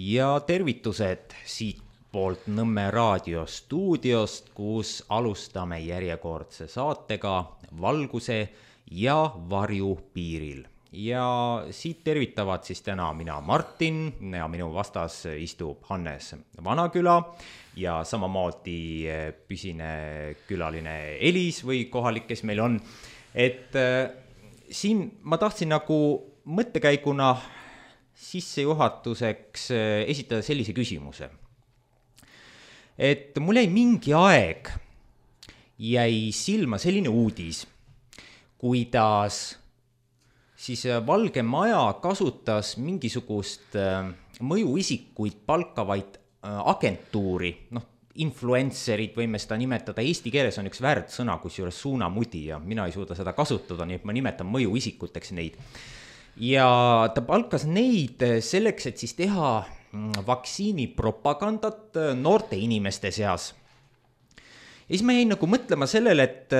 Ja tervitused siit poolt Nõmme raadio stuudiost, kus alustame järjekordse saatega Valguse ja varju piiril. Ja siit tervitavad siis täna mina Martin ja minu vastas istub Hannes Vanaküla ja samamoodi püsine külaline Elis või kohalik, kes meil on. Et siin ma tahtsin nagu mõttekäiguna sissejuhatuseks esitada sellise küsimuse. Et mul jäi mingi aeg jäi silma selline uudis, kuidas siis Valge Maja kasutas mingisugust mõjuisikuid palkavaid agentuuri, influencerid võime seda nimetada, eesti keeles on üks väärdsõna, kusjuures suunamudi ja mina ei suuda seda kasutada, nii et ma nimetan mõjuisikuteks neid. Ja ta palkas neid selleks, et siis teha vaktsiinipropagandat noorte inimeste seas. Ja siis ma jäin nagu mõtlema sellele, et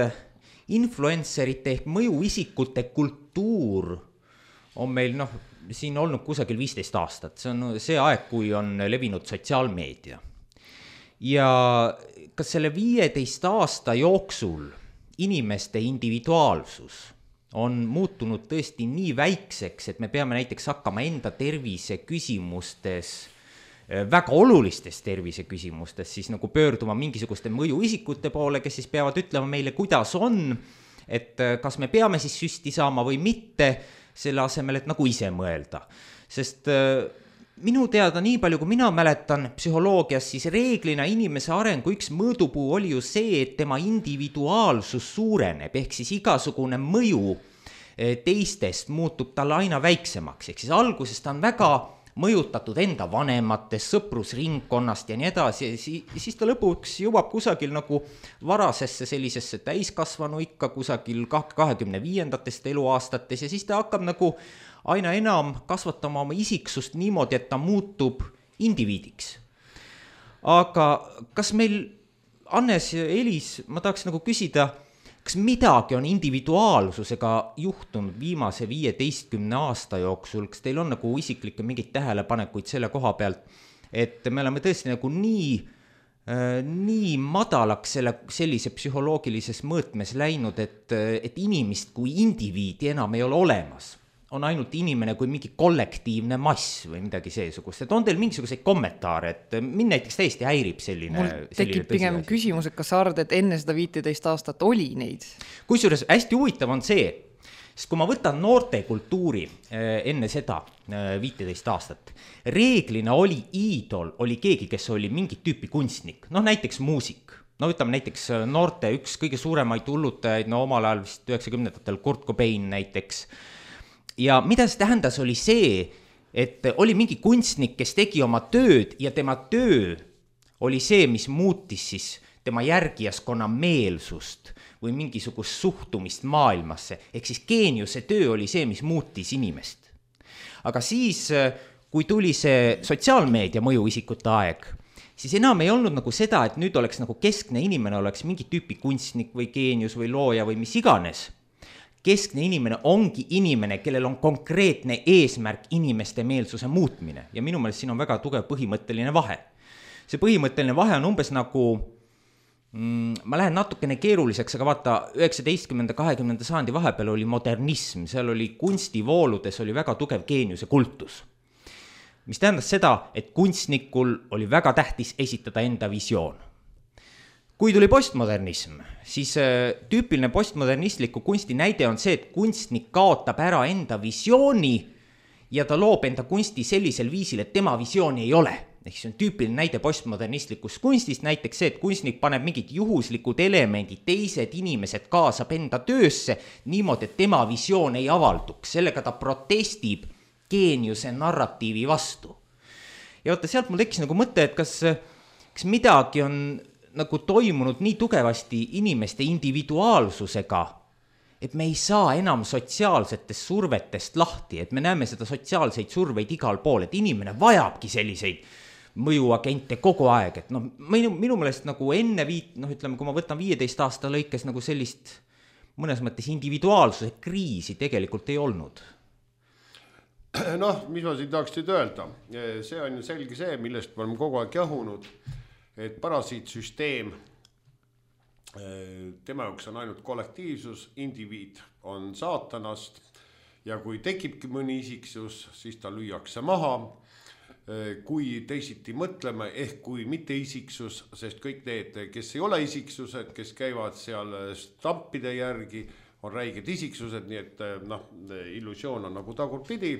influencerite ehk mõjuisikute kultuur on meil siin olnud kusagil 15 aastat. See on see aeg, kui on levinud sotsiaalmeedia. Ja kas selle 15 aasta jooksul inimeste individuaalsus on muutunud tõesti nii väikseks, et me peame näiteks hakkama enda tervise küsimustes, väga olulistes tervise küsimustes, siis nagu pöörduma mingisuguste mõjuisikute poole, kes siis peavad ütlema meile, kuidas on, et kas me peame siis süsti saama või mitte, selle asemel, et nagu ise mõelda. Sest minu teada nii palju, kui mina mäletan psühholoogias, siis reeglina inimese arengu üks mõõdupuu oli ju see, et tema individuaalsus suureneb, ehk siis igasugune mõju teistest muutub talle aina väiksemaks, ehk siis alguses ta on väga mõjutatud enda vanematest, sõprusringkonnast ja nii edasi, siis ta lõpuks jõuab kusagil nagu varasesse sellisesse täiskasvanu ikka kusagil 25. eluaastates ja siis ta hakkab nagu aina enam kasvatama oma isiksust niimoodi, et ta muutub indiviidiks. Aga kas meil, Hannes ja Elis, ma tahaks nagu küsida, kas midagi on individuaalsusega juhtunud viimase 15 aasta jooksul, kas teil on nagu isiklikke mingeid tähelepanekuid selle koha pealt, et me oleme tõesti nagu nii madalaks sellise psühholoogilises mõõtmes läinud, et inimest kui indiviidi enam ei ole olemas. On ainult inimene kui mingi kollektiivne mass või midagi seesugust. Et on teil mingisuguseid kommentaare, et mind näiteks täiesti häirib selline mul tekib pigem küsimus, et kas sa arvad, et enne seda 15 aastat oli neid? Kusjuures hästi huvitav on see, sest kui ma võtan noorte kultuuri enne seda 15 aastat, reeglina oli iidol, oli keegi, kes oli mingit tüüpi kunstnik, näiteks muusik. Ütleme näiteks noorte üks kõige suuremaid hullutajaid, omal ajal vist 90-ndatel Kurt Cobain näiteks. Ja mida see tähendas oli see, et oli mingi kunstnik, kes tegi oma tööd ja tema töö oli see, mis muutis siis tema järgijaskonna meelsust või mingisugust suhtumist maailmasse. Ehk siis geeniuse töö oli see, mis muutis inimest. Aga siis, kui tuli see sotsiaalmeedia mõjuisikute aeg, siis enam ei olnud nagu seda, et nüüd oleks nagu keskne inimene oleks mingi tüüpi kunstnik või geenius või looja või mis iganes. Keskne inimene ongi inimene, kellel on konkreetne eesmärk inimeste meelsuse muutmine. Ja minu meelest siin on väga tugev põhimõtteline vahe. See põhimõtteline vahe on umbes nagu, ma lähen natukene keeruliseks, aga vaata 19. 20. sajandi vahepeal oli modernism, seal oli kunstivooludes oli väga tugev geeniuse kultus. Mis tähendas seda, et kunstnikul oli väga tähtis esitada enda visioon. Kui tuli postmodernism, siis tüüpiline postmodernistliku kunsti näide on see, et kunstnik kaotab ära enda visiooni ja ta loob enda kunsti sellisel viisil, et tema visiooni ei ole. Ehk see on tüüpiline näide postmodernistlikust kunstist, näiteks see, et kunstnik paneb mingid juhuslikud elemendid, teised inimesed kaasab enda töösse niimoodi, et tema visioon ei avalduks. Sellega ta protestib geeniuse narratiivi vastu. Ja vaata, sealt mul tekkis nagu mõte, et kas midagi on nagu toimunud nii tugevasti inimeste individuaalsusega, et me ei saa enam sotsiaalsetest survetest lahti, et me näeme seda sotsiaalseid surveid igal pool, et inimene vajabki selliseid mõjuagente kogu aeg, et minu meelest nagu enne ütleme, kui ma võtan 15 aasta lõikes nagu sellist mõnes mõttes individuaalsuse kriisi tegelikult ei olnud. Noh, mis ma siin tahaks nüüd öelda, see on ju selge see, millest me oleme kogu aeg jahunud, et parasiitsüsteem, tema jaoks on ainult kollektiivsus, indiviid on saatanast ja kui tekibki mõni isiksus, siis ta lüüakse maha. Kui teisiti mõtleme, ehk kui mitte isiksus, sest kõik need, kes ei ole isiksused, kes käivad seal stampide järgi, on räiged isiksused, nii et illusioon on nagu tagurpidi.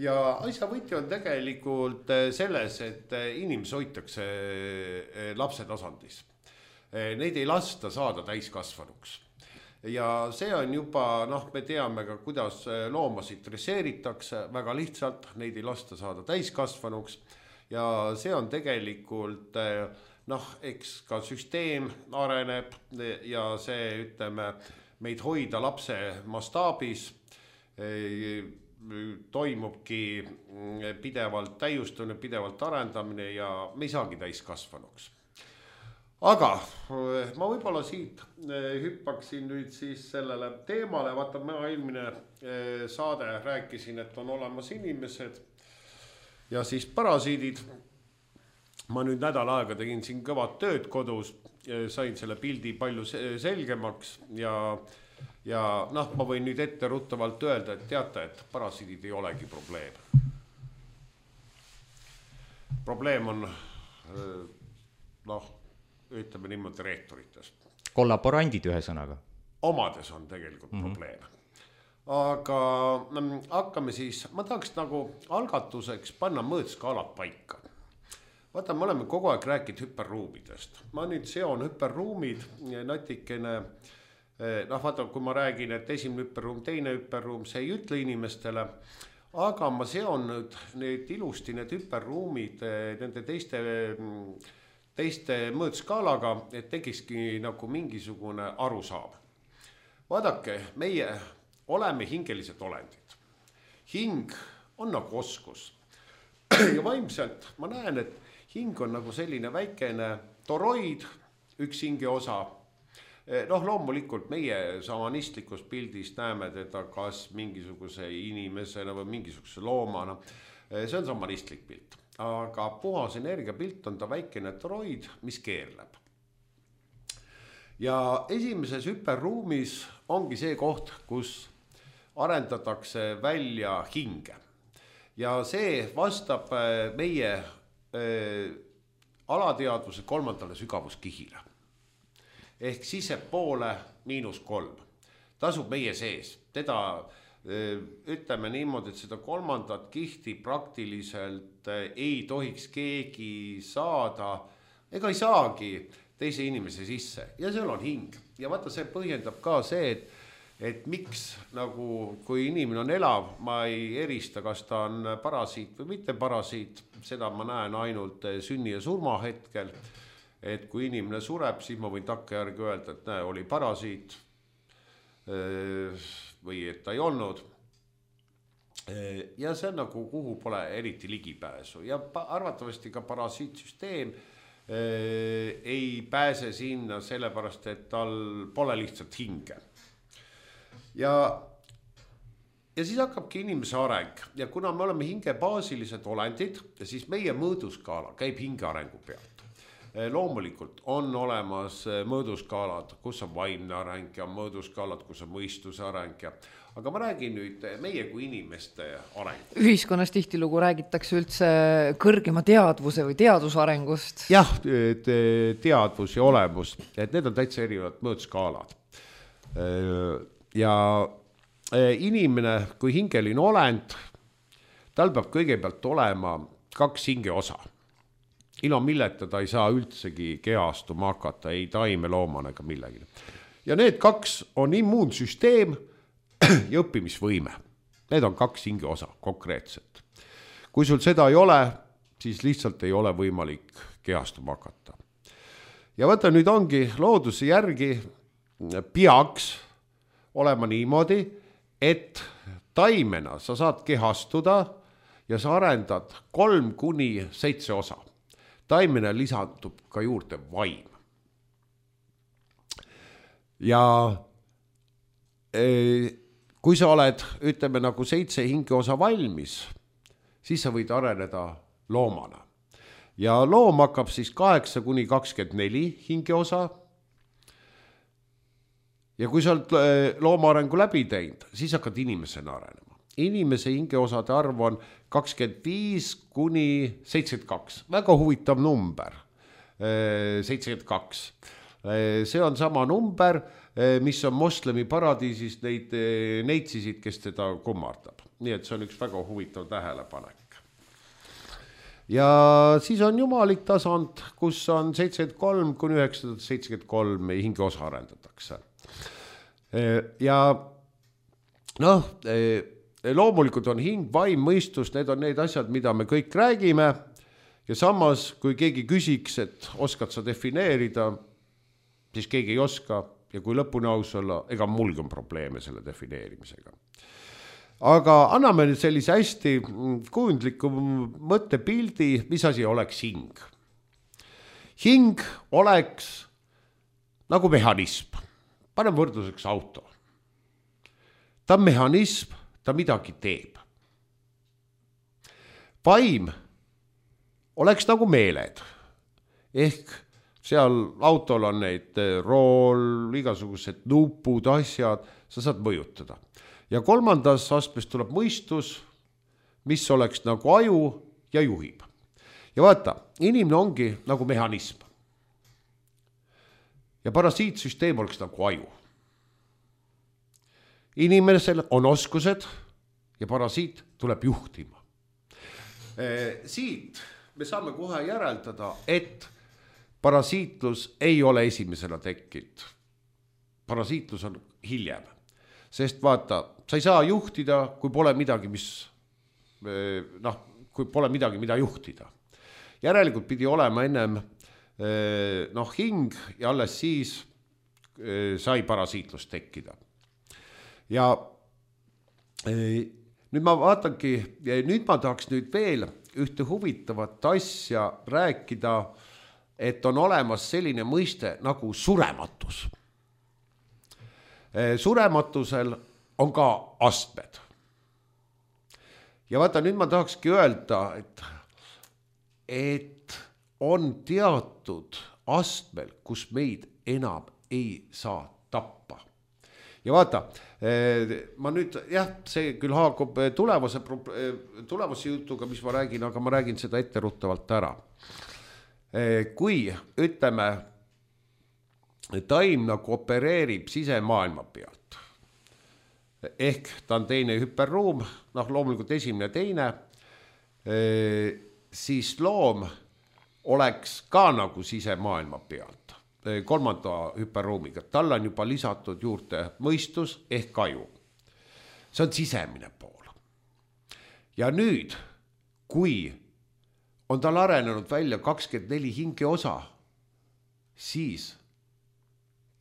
Ja asja võti on tegelikult selles, et inimesi hoitakse lapse tasandis. Neid ei lasta saada täiskasvanuks. Ja see on juba, me teame ka, kuidas loomasid dresseeritakse, väga lihtsalt, neid ei lasta saada täiskasvanuks ja see on tegelikult, eks ka süsteem areneb ja see, ütleme, meid hoida lapse mastaabis, toimubki pidevalt täiustumine, pidevalt arendamine ja me ei saagi täiskasvanuks. Aga ma võib-olla siit hüppaksin nüüd siis sellele teemale, vaata ma eelmine saade rääkisin, et on olemas inimesed ja siis parasiidid. Ma nüüd nädal aega tegin siin kõvad tööd kodus, sain selle pildi palju selgemaks ja ma võin nüüd ette ruttavalt öelda, et teate, et parasiidid ei olegi probleem. Probleem on, ütleme niimoodi reetorites. Kollaborandid ühe sõnaga. Omades on tegelikult probleem. Aga hakkame siis, ma tahaks nagu algatuseks panna mõõtskaalad paika. Vaata, me oleme kogu aeg rääkinud hüperruumidest. Ma nüüd seon hüperruumid natikene, vaata, kui ma räägin, et esimene hüperruum, teine hüperruum, see ei ütle inimestele, aga ma seon nüüd ilusti need hüperruumid nende teiste mõõtskaalaga, et tekiski nagu mingisugune arusaam. Vaadake, meie oleme hingelised olendid. Hing on nagu oskus. Ja vaimselt ma näen, et hing on nagu selline väikene toroid, üks hinge osa. Loomulikult meie samanistlikus pildis näeme teda kas mingisuguse inimesena või mingisuguse loomana. See on samanistlik pilt. Aga puhas energiapilt on ta väikene toroid, mis keerleb. Ja esimeses hüperruumis ongi see koht, kus arendatakse välja hinge. Ja see vastab meie alateadvuse 3. sügavuskihile. Ehk sisepoole -3. Tasub meie sees. Teda ütleme niimoodi, et seda 3. kihti praktiliselt ei tohiks keegi saada, ega ei saagi teise inimese sisse. Ja seal on hing. Ja vaata, see põhjendab ka see, et miks nagu, kui inimene on elav, ma ei erista, kas ta on parasiit või mitte parasiit. Seda ma näen ainult sünni ja surma hetkel. Et kui inimene sureb, siis ma võin takkajärgi öelda, et näe, oli parasiit või et ta ei olnud. Ja see on nagu, kuhu pole eriti ligipääsu. Ja arvatavasti ka parasiitsüsteem ei pääse sinna sellepärast, et tal pole lihtsalt hinge. Ja siis hakkabki inimese areng. Ja kuna me oleme hingebaasilised olendid, siis meie mõõduskaala käib hinge arengu pealt. Loomulikult on olemas mõõduskaalad, kus on vaimne areng ja mõõduskaalad, kus on mõistuse areng. Aga ma räägin nüüd meie kui inimeste areng. Ühiskonnas tihtilugu räägitakse üldse kõrgema teadvuse või teadusarengust. Jah, teadvus ja olemus, et need on täitsa erinevad mõõduskaalad. Ja inimene kui hingeline olend, tal peab kõigepealt olema 2 hinge osa. Ilma milleta ta ei saa üldsegi kehastuma hakata, ei taime loomana ega millegi. Ja need 2 on immuunsüsteem ja õppimisvõime. Need on 2 hinge osa konkreetselt. Kui sul seda ei ole, siis lihtsalt ei ole võimalik kehastuma hakata. Ja vaata, nüüd ongi looduse järgi peaks olema niimoodi, et taimena sa saad kehastuda ja sa arendad 3-7 osa. Taimena lisandub ka juurde vaim. Ja kui sa oled, ütleme nagu 7 hingeosa valmis, siis sa võid areneda loomana. Ja loom hakkab siis 8-24 hingeosa. Ja kui sa oled looma arengu läbi teinud, siis hakkad inimesena arenema. Inimese hingeosade arv on 25-72. Väga huvitav number. 72. See on sama number, mis on moslemi paradiisis neid neitsisid, kes teda kummardab. Nii et see on üks väga huvitav tähelepanek. Ja siis on jumalik tasand, kus on 73-973 hingeosa arendatakse. Ja noh, loomulikult on hing, vaim, mõistus, need on need asjad, mida me kõik räägime. Ja samas, kui keegi küsiks, et oskad sa defineerida, siis keegi ei oska. Ja kui lõpuni aus olla, ega mulgi on probleeme selle defineerimisega. Aga anname nüüd sellise hästi kujundliku mõttepildi, mis asi oleks hing. Hing oleks nagu mehhanism. Panen võrdluseks auto. Ta on mehhanism, ta midagi teeb. Vaim oleks nagu meeled. Ehk seal autol on neid rool, igasugused nupud, asjad, sa saad mõjutada. Ja kolmandas astmes tuleb mõistus, mis oleks nagu aju ja juhib. Ja vaata, inimene ongi nagu mehhanism. Ja parasiitsüsteem oleks nagu aju. Inimesel on oskused ja parasiit tuleb juhtima. Siit me saame kohe järeldada, et parasiitlus ei ole esimesena tekkinud. Parasiitlus on hiljem. Sest vaata, sa ei saa juhtida, kui pole midagi, kui pole midagi, mida juhtida. Järelikult pidi olema ennem hing ja alles siis sai parasiitlus tekkida. Ja nüüd ma vaatangi, nüüd ma tahaks nüüd veel ühte huvitavat asja rääkida, et on olemas selline mõiste nagu surematus. Surematusel on ka astmed. Ja vaata, nüüd ma tahakski öelda, et on teatud astmel, kus meid enam ei saa tappa. Ja vaata, ma nüüd, see küll haakub tulevase jutuga, mis ma räägin, aga ma räägin seda etteruttavalt ära. Kui, ütleme, taim nagu opereerib sisemaailma pealt, ehk ta on teine hüperruum, loomulikult esimene teine, siis loom oleks ka nagu sisemaailma pealt. Kolmanda hüperruumiga. Tal on juba lisatud juurde mõistus ehk aju. See on sisemine pool. Ja nüüd, kui on tal arenenud välja 24 hingeosa, siis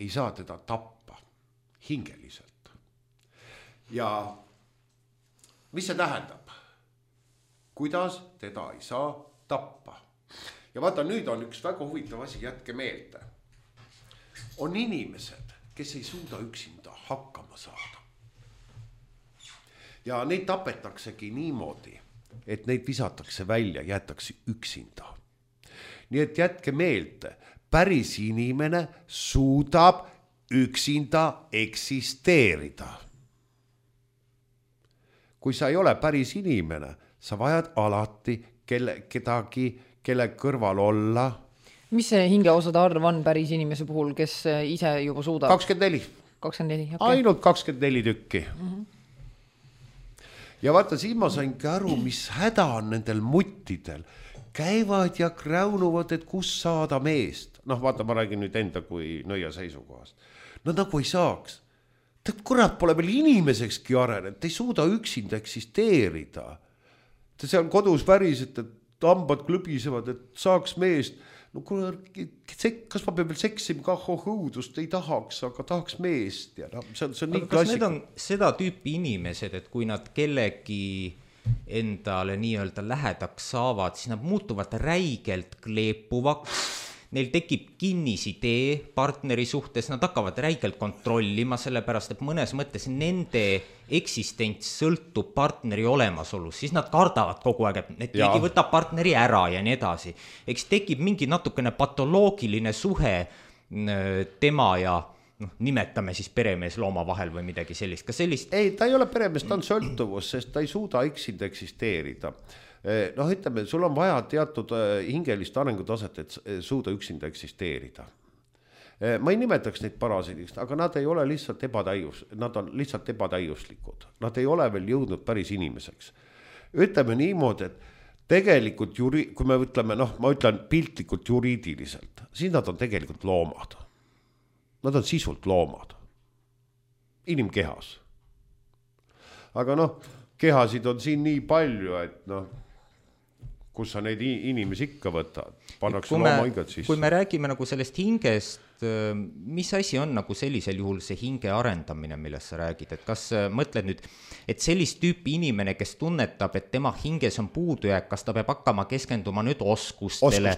ei saa teda tappa hingeliselt. Ja mis see tähendab? Kuidas teda ei saa tappa? Ja vaata, nüüd on üks väga huvitav asi, jätke meelde. On inimesed, kes ei suuda üksinda hakkama saada. Ja neid tapetaksegi niimoodi, et neid visatakse välja, jäetakse üksinda. Nii et jätke meelde, päris inimene suudab üksinda eksisteerida. Kui sa ei ole päris inimene, sa vajad alati kedagi, kelle kõrval olla. Mis see hingeosade arv on päris inimese puhul, kes ise juba suudab? 24. 24, okay. Ainult 24 tükki. Ja vaata, siin ma sainki aru, mis häda on nendel muttidel. Käivad ja kräunuvad, et kus saada meest. Vaata, ma räägin nüüd enda kui nõia seisukohast. Nad nagu ei saaks. Kurat, pole veel inimesekski arenenud, ei suuda üksinda eksisteerida. See on kodus väriselt, et hambad klõbisevad, et saaks meest. No kas ma pean veel seksima ka õudust, ei tahaks, aga tahaks meest. Ja see on nii kas need on seda tüüpi inimesed, et kui nad kellegi endale nii-öelda lähedaks saavad, siis nad muutuvad räigelt kleepuvaks, neil tekib kinnisidee partneri suhtes, nad hakkavad räigelt kontrollima, sellepärast et mõnes mõttes nende eksistents sõltub partneri olemasolust, siis nad kardavad kogu aeg, et keegi võtab partneri ära ja nii edasi. Eks tekib mingi natukene patoloogiline suhe tema ja nimetame siis peremees looma vahel või midagi sellist. Kas sellist? Ei, ta ei ole peremees, ta on sõltuvus, sest ta ei suuda üksinda eksisteerida. Ütleme, sul on vaja teatud hingelist arengutaset, et suuda üksinda eksisteerida. Ma ei nimetaks neid parasiidiks, aga nad ei ole lihtsalt nad on lihtsalt ebatäiuslikud. Nad ei ole veel jõudnud päris inimeseks. Ütleme niimoodi, et tegelikult, kui me ütleme, ma ütlen piltlikult juriidiliselt, siis nad on tegelikult loomad. Nad on sisult loomad. Inimkehas. Aga kehasid on siin nii palju, et kus sa neid inimesi ikka võtad, pannakse looma hingad sisse. Kui me räägime nagu sellest hingest, mis asi on nagu sellisel juhul see hinge arendamine, millest sa räägid, et kas mõtled nüüd, et sellist tüüpi inimene, kes tunnetab, et tema hinges on puudujääk, kas ta peab hakkama keskenduma nüüd oskustele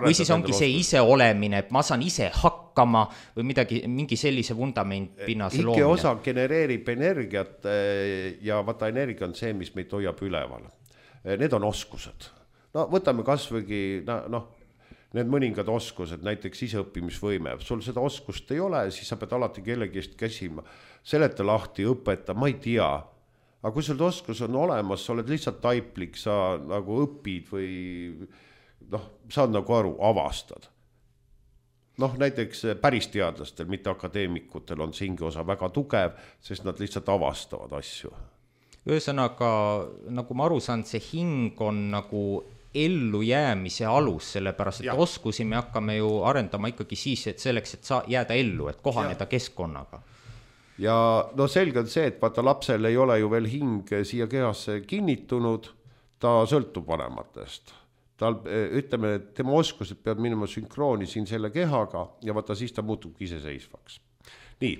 või siis ongi see ise olemine, et ma saan ise hakkama või mingi sellise vundament pinnase loomine. Ikke osa genereerib energiat ja vaata energia on see, mis meid hoiab üleval. Need on oskused. Võtame kasvõigi, need mõningad oskused, näiteks iseõppimisvõime. Sul seda oskust ei ole, siis sa pead alati kellegist käsima. Seleta lahti, õpeta, ma ei tea. Aga kui sul oskus on olemas, sa oled lihtsalt taiplik, sa nagu õpid või saad nagu aru, avastad. Näiteks päris teadlastel, mitte akadeemikutel on see hingeosa väga tugev, sest nad lihtsalt avastavad asju. Ühesõnaga, nagu ma aru saan, see hing on nagu ellu jäämise alus, sellepärast, et oskusi me hakkame ju arendama ikkagi siis, et selleks, et jääda ellu, et kohaneda keskkonnaga. Ja selge on see, et vaata lapsel ei ole ju veel hing siia kehasse kinnitunud, ta sõltub vanematest. Ütleme, et tema oskused peavad minema sünkrooni siin selle kehaga ja vaata siis ta muutub iseseisvaks. Nii.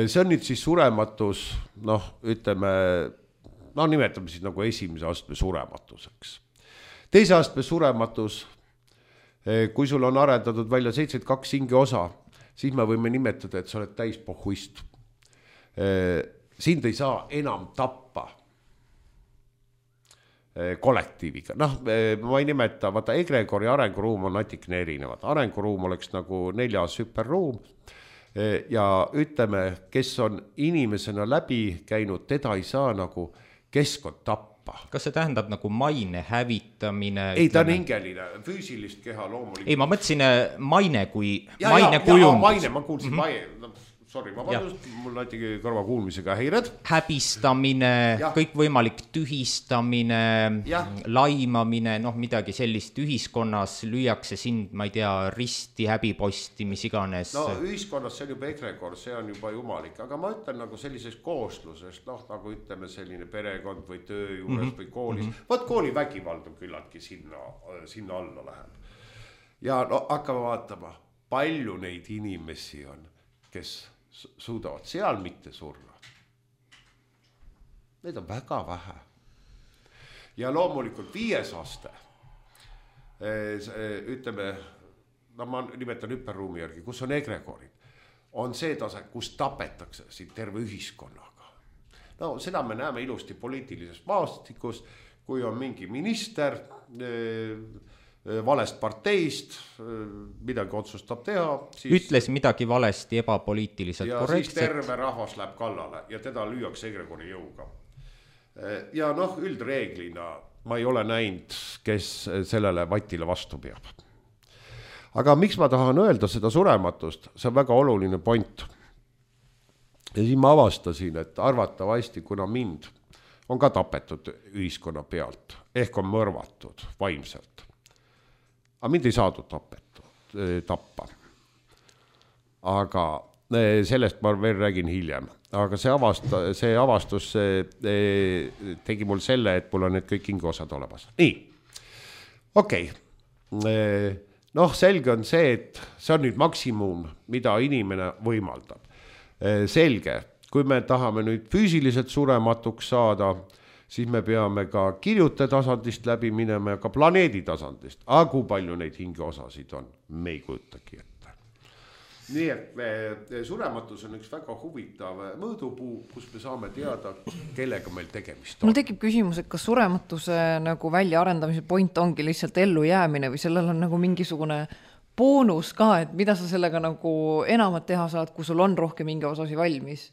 See on nüüd siis surematus, ütleme, nimetame siis nagu esimese astme surematuseks. Teise astme surematus, kui sul on arendatud välja 72 hingeosa, siis me võime nimetada, et sa oled täispohuist. Sind ei saa enam tappa kollektiiviga. Ma ei nimeta, vaata egregori arenguruum on natikene erinevad. Arenguruum oleks nagu 4. hüperruum ja ütleme, kes on inimesena läbi käinud, teda ei saa nagu keskkond tappa. Kas see tähendab nagu maine hävitamine? Ei, ta on hingeline, füüsilist keha loomulikult. Ei, ma mõtlesin maine kui maine kujund. Maine, ma kuulsin maine. Sorry, ma vabandust, mul näitigi kõrva kuulmisega häired. Häbistamine, kõik võimalik tühistamine, laimamine, midagi sellist ühiskonnas lüüakse sind, ma ei tea, risti, häbiposti, mis iganes. Ühiskonnas see on juba egregor, see on juba jumalik, aga ma ütlen nagu sellisest kooslusest, nagu ütleme selline perekond või töö juures või koolis. Vaat kooli vägivald on küllaltki sinna alla läheb. Ja hakkame vaatama, palju neid inimesi on, kes suudavad seal mitte surra. Neid on väga vähe. Ja loomulikult 5. aste, ütleme, ma nimetan hüperruumi järgi, kus on egregorid, on see tase, kus tapetakse siin terve ühiskonnaga. Seda me näeme ilusti poliitilises maastikus, kui on mingi minister valest parteist, midagi otsustab teha. Ütles midagi valesti, ebapoliitiliselt korrektselt. Ja siis terve rahvas läheb kallale ja teda lüüakse egregori jõuga. Ja üldreeglina ma ei ole näinud, kes sellele vatile vastu peab. Aga miks ma tahan öelda seda surematust, see on väga oluline point. Ja siis ma avastasin, et arvatavasti, kuna mind on ka tapetud ühiskonna pealt, ehk on mõrvatud vaimselt. Aga mind ei saadud tappa. Aga sellest ma veel räägin hiljem. Aga see avastus tegi mul selle, et mul on need kõik hingeosad olemas. Nii, okei. Selge on see, et see on nüüd maksimum, mida inimene võimaldab. Selge, kui me tahame nüüd füüsiliselt surematuks saada, siis me peame ka kirjute tasandist läbi minema ja ka planeedi tasandist. Aga kui palju neid hingeosasid on, me ei kujutagi ette. Nii et surematus on üks väga huvitav mõõdupuu, kus me saame teada, kellega meil tegemist on. Mul tekib küsimus, et kas surematuse nagu väljaarendamise point ongi lihtsalt ellu jäämine või sellel on nagu mingisugune boonus ka, et mida sa sellega nagu enamat teha saad, kui sul on rohkem hingeosasi valmis.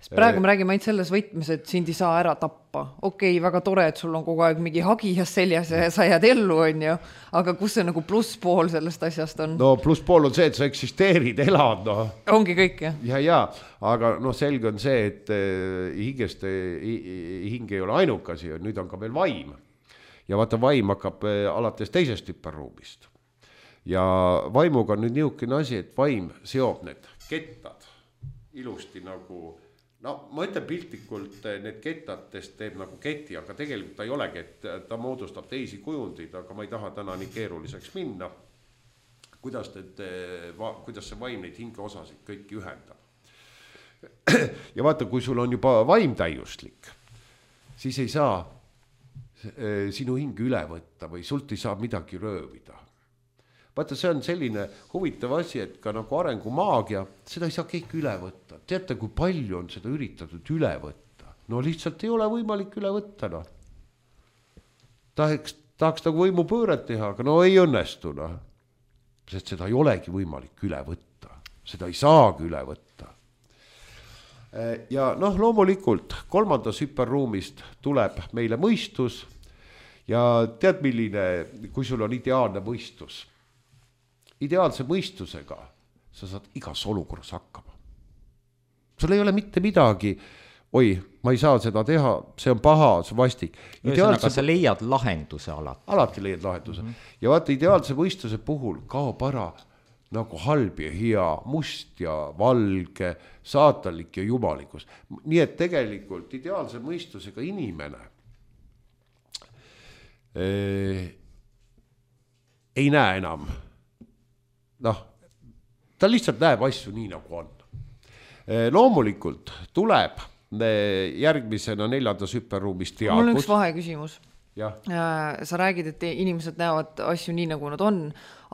Sest praegu me räägime ainult selles võtmes, et sind ei saa ära tappa. Okei, väga tore, et sul on kogu aeg mingi hagijas seljas ja sa jääd ellu, on ju. Aga kus see nagu plusspool sellest asjast on? No plusspool on see, et sa eksisteerid, elad. No. Ongi kõik, jah? Ja, aga no selge on see, et hing ei ole ainukasi, nüüd on ka veel vaim. Ja vaata, vaim hakkab alates teisest hüperruumist. Ja vaimuga on nüüd niisugune asi, et vaim seob need kettad ilusti nagu, no ma ütlen piltlikult, need kettadest teeb nagu keti, aga tegelikult ta ei ole kett, ta moodustab teisi kujundid, aga ma ei taha täna nii keeruliseks minna, kuidas see vaim neid hingeosasid kõiki ühendab. Ja vaata, kui sul on juba vaim täiuslik, siis ei saa sinu hinge üle võtta või sult ei saa midagi röövida. Vaata, see on selline huvitav asi, et ka nagu arengumaagia, seda ei saa kõik üle võtta. Teate, kui palju on seda üritatud üle võtta? No lihtsalt ei ole võimalik üle võtta. No. Tahaks nagu võimupööret teha, aga no ei õnnestu. No. Sest seda ei olegi võimalik üle võtta. Seda ei saagi üle võtta. Ja noh, loomulikult kolmandas hüperruumist tuleb meile mõistus ja tead, milline, kui sul on ideaalne mõistus. Ideaalse mõistusega sa saad igas olukorras hakkama. Sul ei ole mitte midagi, oi, ma ei saa seda teha, see on paha, see vastik. Ühesõnaga, sa leiad lahenduse alati. Alati leiad lahenduse. Ja vaata, ideaalse mõistuse puhul kaob ära nagu halb ja hea, must ja valge, saatanlik ja jumalikus. Nii et tegelikult ideaalse mõistusega inimene ei näe enam. Noh, ta lihtsalt näeb asju nii nagu on. Loomulikult tuleb järgmisena 4. hüperruumis teadvus. Mul on üks vaheküsimus. Ja. Sa räägid, et inimesed näevad asju nii nagu nad on,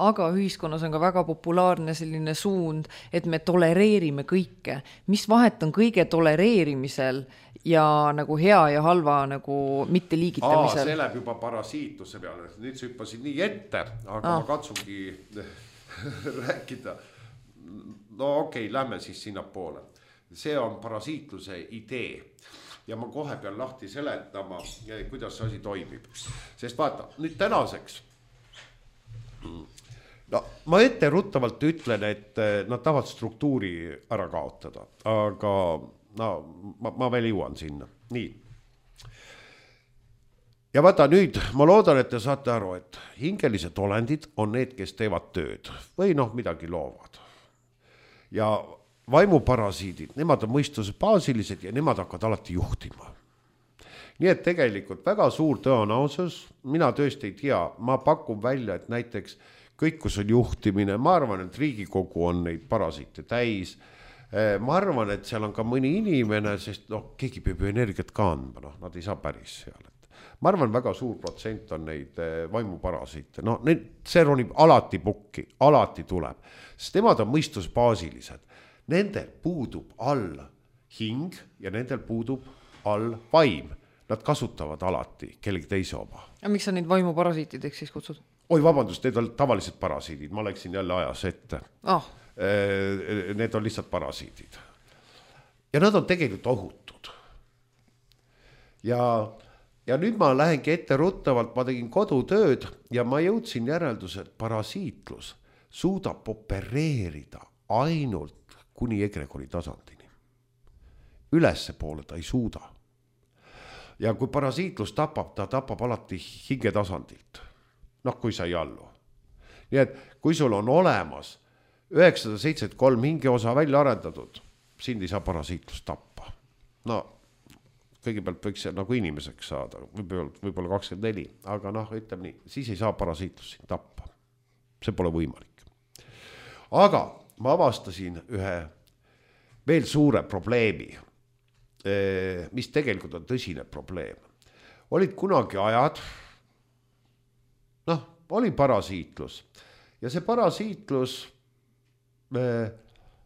aga ühiskonnas on ka väga populaarne selline suund, et me tolereerime kõike. Mis vahet on kõige tolereerimisel ja nagu hea ja halva nagu mitte liigitamisel? See läheb juba parasiitluse peale. Nüüd sa hüppasid nii ette, aga ma katsungi rääkida. No okei, lähme siis sinna poole. See on parasiitluse idee. Ja ma kohe pean lahti seletama, kuidas see asi toimib. Sest vaata, nüüd tänaseks. No, ma etteruttavalt ütlen, et nad tahavad struktuuri ära kaotada. Aga no, ma veel jõuan sinna. Nii. Ja vaata nüüd, ma loodan, et te saate aru, et hingelised olendid on need, kes teevad tööd või noh, midagi loovad. Ja vaimuparasiidid, nemad on mõistuse baasilised ja nemad hakkavad alati juhtima. Nii et tegelikult väga suur tõenäosus, mina tõesti ei tea, ma pakun välja, et näiteks kõik, kus on juhtimine, ma arvan, et Riigikogu on neid parasiite täis. Ma arvan, et seal on ka mõni inimene, sest noh, keegi peab ju energiat ka andma, noh, nad ei saa päris seal. Ma arvan, väga suur protsent on neid vaimuparasiite. No, see ronib alati pukki, alati tuleb. Sest nemad on mõistusbaasilised. Nendel puudub all hing ja nendel puudub all vaim. Nad kasutavad alati kellegi teise oma. Ja miks sa neid vaimuparasiitideks siis kutsud? Oi, vabandust, need on tavalised parasiidid. Ma läksin jälle ajas ette. Need on lihtsalt parasiidid. Ja nad on tegelikult ohutud. Ja nüüd ma lähengi ette ruttavalt, ma tegin kodutööd ja ma jõudsin järelduse, et parasiitlus suudab opereerida ainult kuni egregori tasandini. Ülesse poole ta ei suuda. Ja kui parasiitlus tapab, ta tapab alati hinge tasandilt. Noh, kui sa ei allu. Nii et kui sul on olemas 973 hingeosa välja arendatud, sind ei saa parasiitlus tappa. No, kõigepealt võiks see nagu inimeseks saada, võib-olla 24, aga noh, ütleme nii, siis ei saa parasiitlus sind tappa. See pole võimalik. Aga ma avastasin ühe veel suure probleemi, mis tegelikult on tõsine probleem. olid kunagi ajad, noh, oli parasiitlus ja see parasiitlus,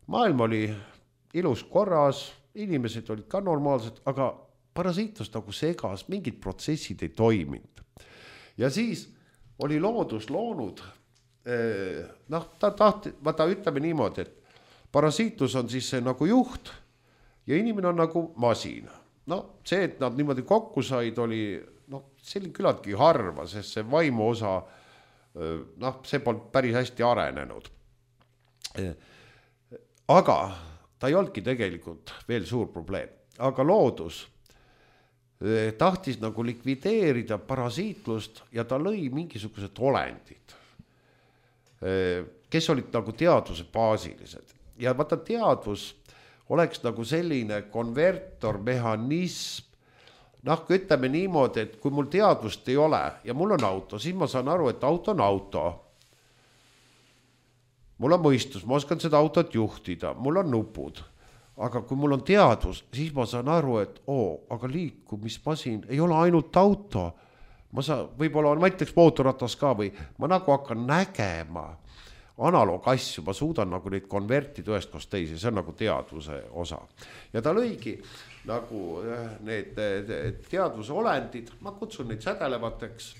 maailm oli ilus korras, inimesed olid ka normaalsed, aga parasiitlus nagu segas, mingid protsessid ei toiminud. Ja siis oli loodus loonud, noh, vaata ütleme niimoodi, et parasiitlus on siis see nagu juht ja inimene on nagu masin. No see, et nad niimoodi kokku said, oli, noh, see oli küllaltki harva, sest see vaimu osa, noh, see polnud päris hästi arenenud. Aga ta ei olnudki tegelikult veel suur probleem, aga loodus tahtis nagu likvideerida parasiitlust ja ta lõi mingisugused olendid, kes olid nagu teadvuse baasilised. Ja vaata, teadvus oleks nagu selline konvertormehhanism, noh, kui ütleme niimoodi, et kui mul teadvust ei ole ja mul on auto, siis ma saan aru, et auto on auto. Mul on mõistus, ma oskan seda autot juhtida, mul on nupud. Aga kui mul on teadvus, siis ma saan aru, et aga liikumismasin ei ole ainult auto. Võib-olla on, ma ütleks mootorratas ka või ma nagu hakkan nägema analoogasju, ma suudan nagu neid konvertida ühest koos teisi, see on nagu teadvuse osa. Ja ta lõigi nagu need teadvuse olendid, ma kutsun neid sädelevateks,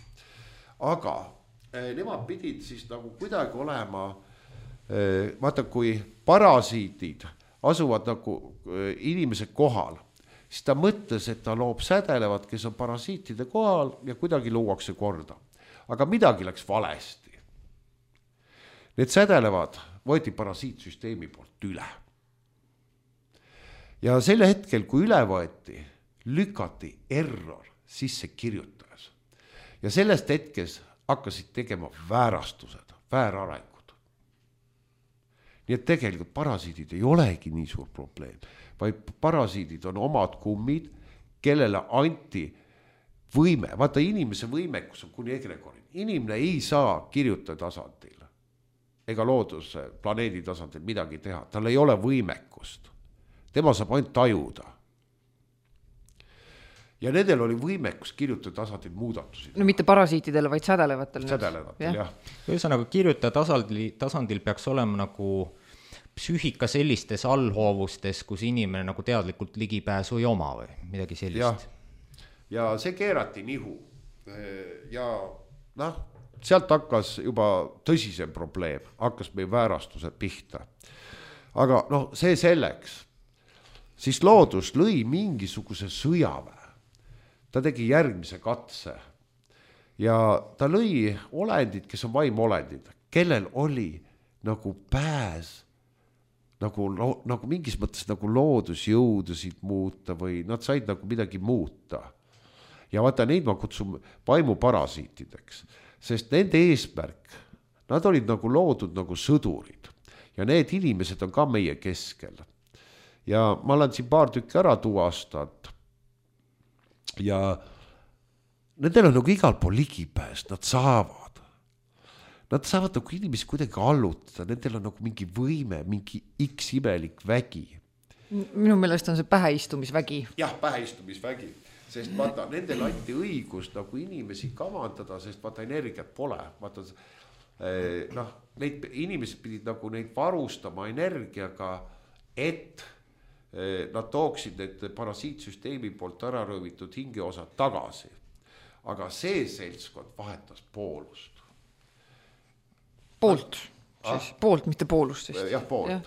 aga nemad pidid siis nagu kuidagi olema, vaata, kui parasiidid asuvad nagu inimese kohal, siis ta mõtles, et ta loob sädelevad, kes on parasiitide kohal ja kuidagi luuakse korda. Aga midagi läks valesti. Need sädelevad võeti parasiitsüsteemi poolt üle. Ja selle hetkel, kui üle võeti, lükati error sisse kirjutajas. Ja sellest hetkes hakkasid tegema väärastused, väärarengud. Nii et tegelikult parasiidid ei olegi nii suur probleem, vaid parasiidid on omad kummid, kellele anti võime. Vaata, inimese võimekus on kuni egregorin. Inimene ei saa kirjutada tasandil ega looduse planeedi tasandil midagi teha. Tal ei ole võimekust. Tema saab ainult tajuda. Ja nendel oli võimekus kirjutada tasandil muudatusi. No mitte parasiitidele, vaid sädelevatel. Sädelevatel, jah. Ühesõnaga, kirjutaja tasandil peaks olema nagu psüühika sellistes allhoovustes, kus inimene nagu teadlikult ligipääsu ei oma või midagi sellist. Ja see keerati nihu. Ja noh, sealt hakkas juba tõsisem probleem, hakkas meie väärastuse pihta. Aga noh, see selleks. Siis loodus lõi mingisuguse sõjaväe. Ta tegi järgmise katse ja ta lõi olendid, kes on vaimolendid, kellel oli nagu pääs, nagu mingis mõttes nagu loodusjõudusid muuta või nad said nagu midagi muuta. Ja vaata, neid ma kutsun vaimuparasiitideks, sest nende eesmärk, nad olid nagu loodud nagu sõdurid ja need inimesed on ka meie keskel. Ja ma olen siin paar tükki ära tuvastanud. Ja nendel on nagu igal pool ligipääs, nad saavad nagu inimesi kuidagi allutada, nendel on nagu mingi võime, mingi X imelik vägi. Minu meelest on see päheistumisvägi. Jah, päheistumisvägi, sest vaata, nendel anti õigus nagu inimesi kavandada, sest vaata, energiat pole. Vaata, noh, neid inimesed pidid nagu neid varustama energiaga, et nad tooksid need parasiitsüsteemi poolt ära röövitud hingeosad tagasi. Aga see seltskond vahetas poolust. Poolt, siis poolt, mitte poolust. Siis. Jah, poolt. Ja.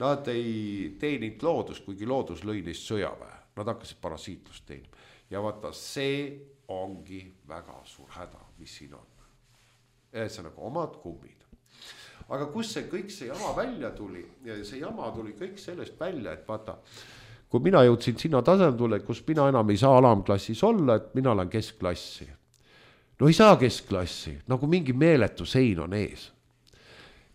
Nad ei teeninud loodust, kuigi loodus lõi neist sõjaväe. Nad hakkasid parasiitlust teenima. Ja vaata, see ongi väga suur häda, mis siin on. See nagu omad kummid. Aga kus see kõik see jama välja tuli? See jama tuli kõik sellest välja, et vaata, kui mina jõudsin sinna tasandule, kus mina enam ei saa alamklassis olla, et mina olen keskklassi. No ei saa keskklassi, nagu mingi meeletu sein on ees.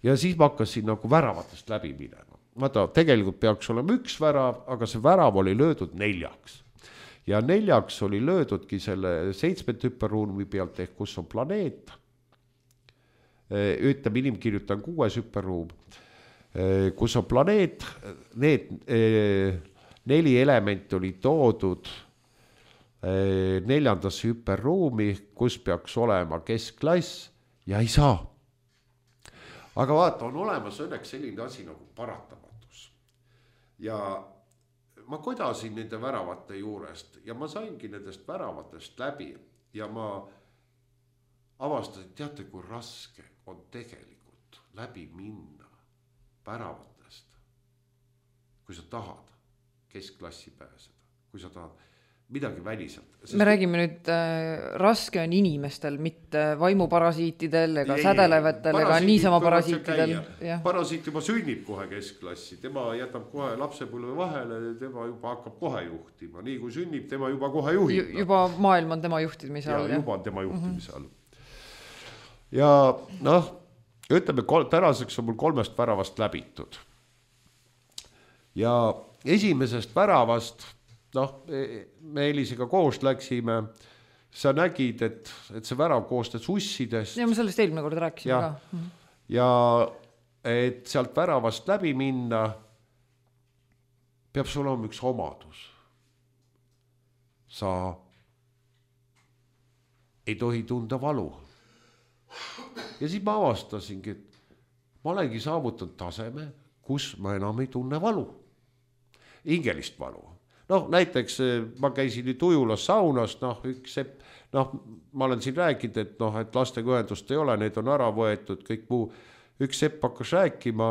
Ja siis ma hakkasin nagu väravatest läbi minema. Vaata, tegelikult peaks olema üks värav, aga see värav oli löödud 4. Ja 4 oli löödudki selle 7 hüperruumi pealt, ehk kus on planeet. Ütleme, inimkirjutan 6 hüperruum, kus on planeet, need 4 elementi oli toodud 4. hüperruumi, kus peaks olema keskklass ja ei saa. Aga vaata, on olemas õnneks selline asi nagu paratamatus. Ja ma kodasin nende väravate juurest ja ma saingi nendest väravatest läbi ja ma avastasin, teate, kui raske on tegelikult läbi minna väravatest, kui sa tahad keskklassi pääseda, kui sa tahad midagi väliselt. Me räägime nüüd, raske on inimestel, mitte vaimuparasiitidel ega sädelevetel ega niisama parasiitidel. Parasiit juba sünnib kohe keskklassi, tema jätab kohe lapsepõlve vahele, tema juba hakkab kohe juhtima. Nii kui sünnib, tema juba kohe juhib. Juba maailm on tema juhtimise all. Juba on tema juhtimise all. Ja noh, ütleme, tänaseks on mul 3 väravast läbitud. Ja esimesest väravast, noh, me Elisega koos läksime, sa nägid, et see värav koostas ussidest. Ja ma sellest eelmine kord rääkisin ka. Ja et sealt väravast läbi minna, peab sul olema üks omadus. Sa ei tohi tunda valu. Ja siis ma avastasingi, et ma olengi saavutanud taseme, kus ma enam ei tunne valu. Hingelist valu. Noh, näiteks ma käisin nüüd Ujulas saunas, noh, ma olen siin rääkinud, et noh, et lastega ühendust ei ole, need on ära võetud, kõik muu. Üks sepp hakkas rääkima,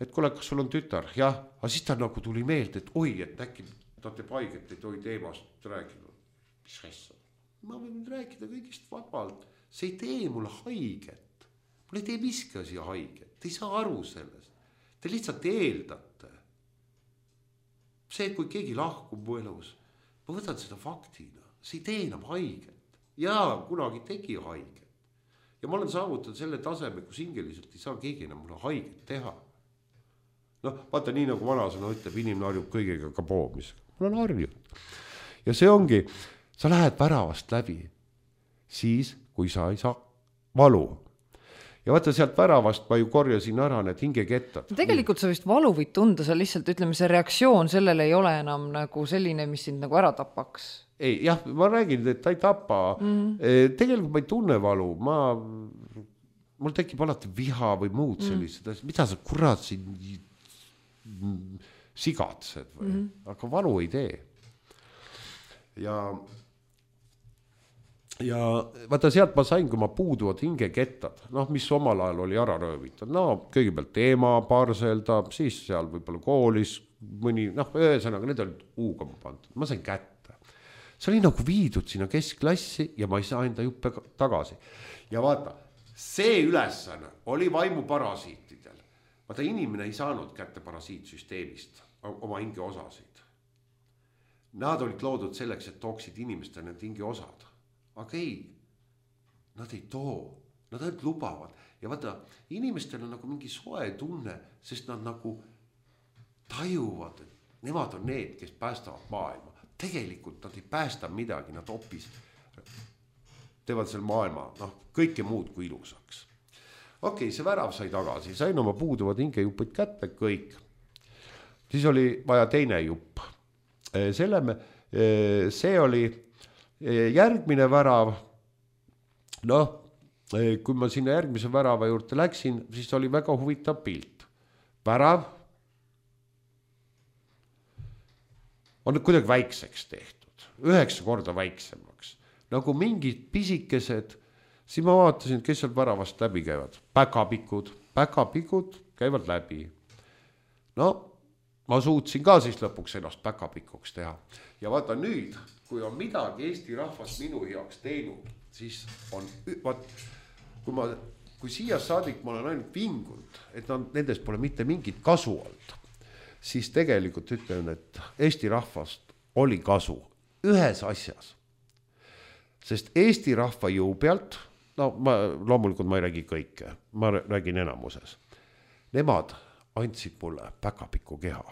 et kuule, kas sul on tütar? Jah, aga siis ta nagu tuli meelde, et oi, et äkki ta teeb haiget, ei tohi teemast rääkida. Mis asja? Ma võin rääkida kõigist vabalt. See ei tee mulle haiget. Mul ei tee miski asi haiget. Te ei saa aru sellest. Te lihtsalt eeldate. See, kui keegi lahkub mu elus, ma võtan seda faktina. See ei tee enam haiget. Jaa, kunagi tegi haiget. Ja ma olen saavutanud selle taseme, kus hingeliselt ei saa keegi enam mulle haiget teha. Noh, vaata nii nagu vanasõna ütleb, inimene harjub kõigega ka poomisega. Ma olen harjunud. Ja see ongi, sa lähed väravast läbi siis, kui sa ei saa valu. Ja vaata sealt väravast ma ju korjasin ära need hingekettad. Tegelikult sa vist valu võid tunda, sa lihtsalt ütleme, see reaktsioon sellele ei ole enam nagu selline, mis sind nagu ära tapaks. Ei, jah, ma räägin, et ta ei tapa. Tegelikult ma ei tunne valu. Mul tekib alati viha või muud sellised. Mida sa kurat siin sigatsed või? Aga valu ei tee. Ja vaata sealt ma sain, kui ma puuduvad hingekettad, noh, mis omal ajal oli ära röövitud. No kõigepealt teema, parselda, siis seal võib-olla koolis mõni, noh, ühesõnaga, need olid uuga ma pandud. Ma sain kätte. See oli nagu viidud sinna keskklassi ja ma ei saa enda juppe tagasi. Ja vaata, see ülesanne oli vaimuparasiitidel. Vaata, inimene ei saanud kätte parasiitsüsteemist oma hinge osasid. Nad olid loodud selleks, et tooksid inimeste need hinge osad. Aga ei, nad ei too, nad ainult lubavad. Ja vaata, inimestel on nagu mingi soe tunne, sest nad nagu tajuvad, et nemad on need, kes päästavad maailma. Tegelikult nad ei päästa midagi, nad hoopis teevad selle maailma, noh, kõike muud kui ilusaks. Okei, see värav sai tagasi, sain oma puuduvad hingejupid kätte, kõik. Siis oli vaja teine jupp. See oli järgmine värav, noh, kui ma sinna järgmise värava juurde läksin, siis oli väga huvitav pilt. Värav on kuidagi väikseks tehtud, 9 korda väiksemaks. Nagu mingid pisikesed, siis ma vaatasin, kes seal väravast läbi käivad. Päkapikud käivad läbi. No, ma suutsin ka siis lõpuks ennast päkapikuks teha. Ja vaata nüüd, kui on midagi Eesti rahvas minu heaks teinud, siis on, kui siia saadik ma olen ainult vingunud, et nendest pole mitte mingit kasu olnud, siis tegelikult ütlen, et Eesti rahvast oli kasu ühes asjas. Sest Eesti rahva jõu pealt, no loomulikult ma ei räägi kõike, ma räägin enamuses. Nemad andsid mulle päkapiku keha.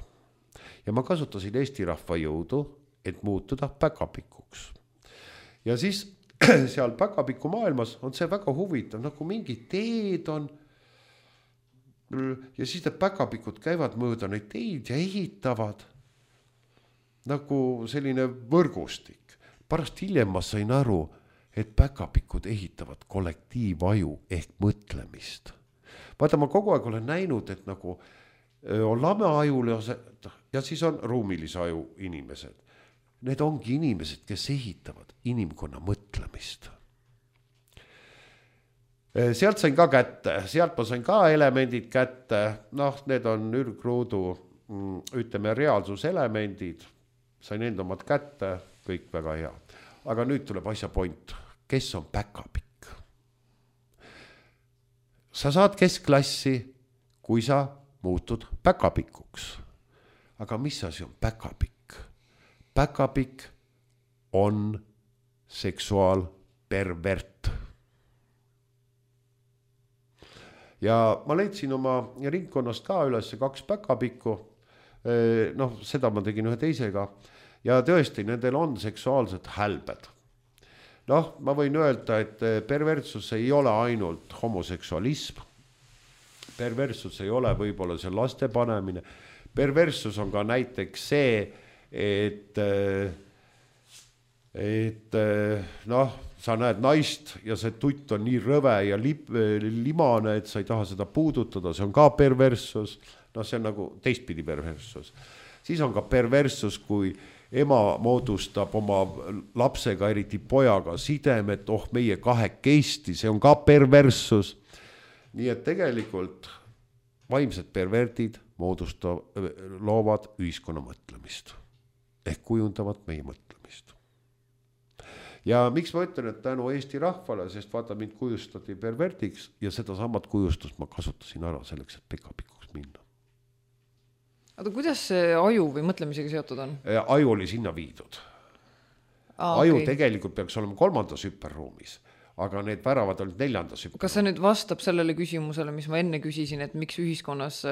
Ja ma kasutasin Eesti rahva jõudu, et muutuda päkapikuks. Ja siis seal päkapiku maailmas on see väga huvitav, nagu mingi teed on ja siis need päkapikud käivad mööda neid teid ja ehitavad nagu selline võrgustik. Pärast hiljem ma sain aru, et päkapikud ehitavad kollektiivaju ehk mõtlemist. Vaata, ma kogu aeg olen näinud, et nagu on lameajul ja siis on ruumilise aju inimesed. Need ongi inimesed, kes ehitavad inimkonna mõtlemist. Sealt sain ka kätte, sealt ma sain ka elemendid kätte, need on ürgruudu, ütleme, reaalsuselemendid, sain enda omad kätte, kõik väga hea. Aga nüüd tuleb asja point, kes on päkapikk? Sa saad keskklassi, kui sa muutud päkapikuks. Aga mis asi on päkapikk? Päkapikk on seksuaalpervert. Ja ma leidsin oma ringkonnast ka üles 2 päkapikku, seda ma tegin ühe teisega, ja tõesti, nendel on seksuaalsed hälbed. Ma võin öelda, et perversus ei ole ainult homoseksualism, perversus ei ole võib-olla see laste panemine, perversus on ka näiteks see, et sa näed naist ja see tutt on nii rõve ja limane, et sa ei taha seda puudutada, see on ka perversus, see on nagu teistpidi perversus. Siis on ka perversus, kui ema moodustab oma lapsega, eriti pojaga sidemed, meie kahekesti, see on ka perversus. Nii et tegelikult vaimsed pervertid loovad ühiskonna mõtlemist ehk kujundavad meie mõtlemist. Ja miks ma ütlen, et tänu Eesti rahvale, sest vaata, mind kujustati pervertiks ja seda samad kujustust ma kasutasin ära selleks, et pekapikuks minna. Aga kuidas see aju või mõtlemisega seotud on? Aju oli sinna viidud. Aju tegelikult peaks olema 3. hüperruumis, aga need väravad olid 4. hüperruumis. Kas see nüüd vastab sellele küsimusele, mis ma enne küsisin, et miks ühiskonnas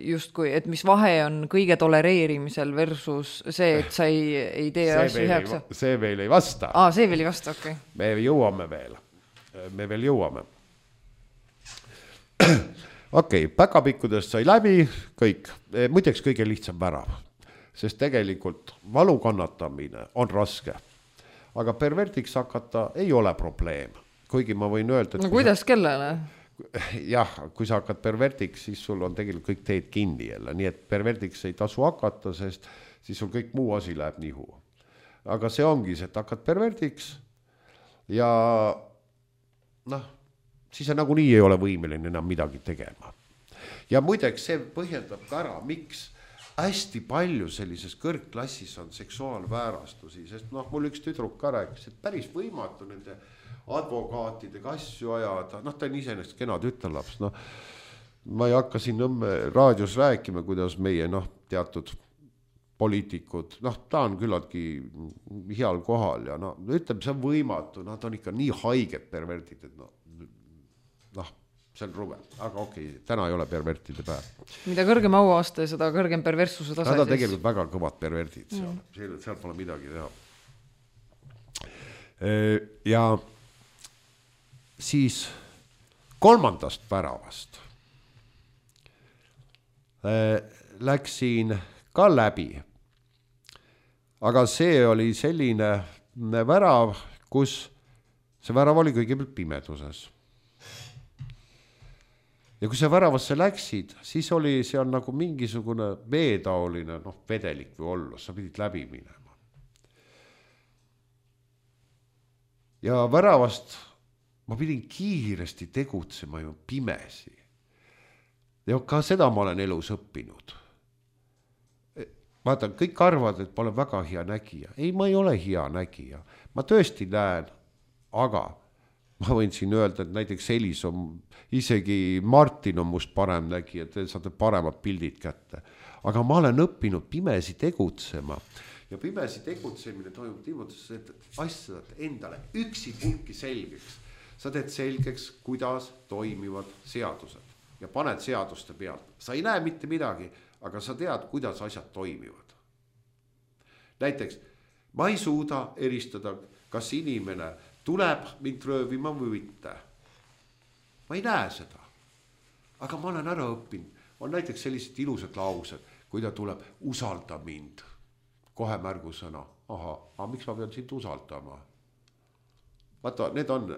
justkui, et mis vahe on kõige tolereerimisel versus see, et sa ei tee asju heaks? See veel ei vasta. See veel ei vasta, okei. Me jõuame veel. Me veel jõuame. Okei, päkapikkudest sai läbi kõik, muideks kõige lihtsam värav, sest tegelikult valu kannatamine on raske, aga pervertiks hakata ei ole probleem, kuigi ma võin öelda, et kuidas kellele? Jah, kui sa hakkad pervertiks, siis sul on tegelikult kõik teed kinni jälle, nii et pervertiks ei tasu hakata, sest siis sul kõik muu asi läheb nihu. Aga see ongi see, et hakkad pervertiks ja siis sa nagunii ei ole võimeline enam midagi tegema. Ja muideks see põhjendab ka ära, miks hästi palju sellises kõrgklassis on seksuaalväärastusi, sest mul üks tüdruk ka rääkis, et päris võimatu nende advokaatidega asju ajada, ta on iseenesest kena tütarlaps, ma ei hakka siin raadios rääkima, kuidas meie teatud poliitikud, ta on küllaltki heal kohal ja ütleb, see on võimatu, ta on ikka nii haiged pervertid, et see on ruve, aga okei, täna ei ole pervertide päev. Mida kõrgem auaste, seda kõrgem perverssuse tase. Nad on tegelikult väga kõvad pervertid, seal pole midagi teha. Ja siis 3. väravast läksin ka läbi. Aga see oli selline värav, kus see värav oli kõigepealt pimeduses. Ja kui sa väravasse läksid, siis oli seal nagu mingisugune veetaoline vedelik või olla, sa pidid läbi minema. Ja väravast ma pidin kiiresti tegutsema ju pimesi. Ja ka seda ma olen elus õppinud. Vaata, kõik arvad, et ma olen väga hea nägija. Ei, ma ei ole hea nägija. Ma tõesti näen, aga ma võin siin öelda, et näiteks Elis on, isegi Martin on must parem nägija, te saate paremad pildid kätte. Aga ma olen õppinud pimesi tegutsema. Ja pimesi tegutsemine toimub niimoodi, et asjad endale üksi pulki selgeks. Sa teed selgeks, kuidas toimivad seadused ja paned seaduste pealt. Sa ei näe mitte midagi, aga sa tead, kuidas asjad toimivad. Näiteks, ma ei suuda eristada, kas inimene tuleb mind röövima või mitte. Ma ei näe seda. Aga ma olen ära õppinud. On näiteks sellised ilusad laused, kui ta tuleb, usalda mind. Kohe märgusõna, aga miks ma pean sind usaldama? Vaata, need on,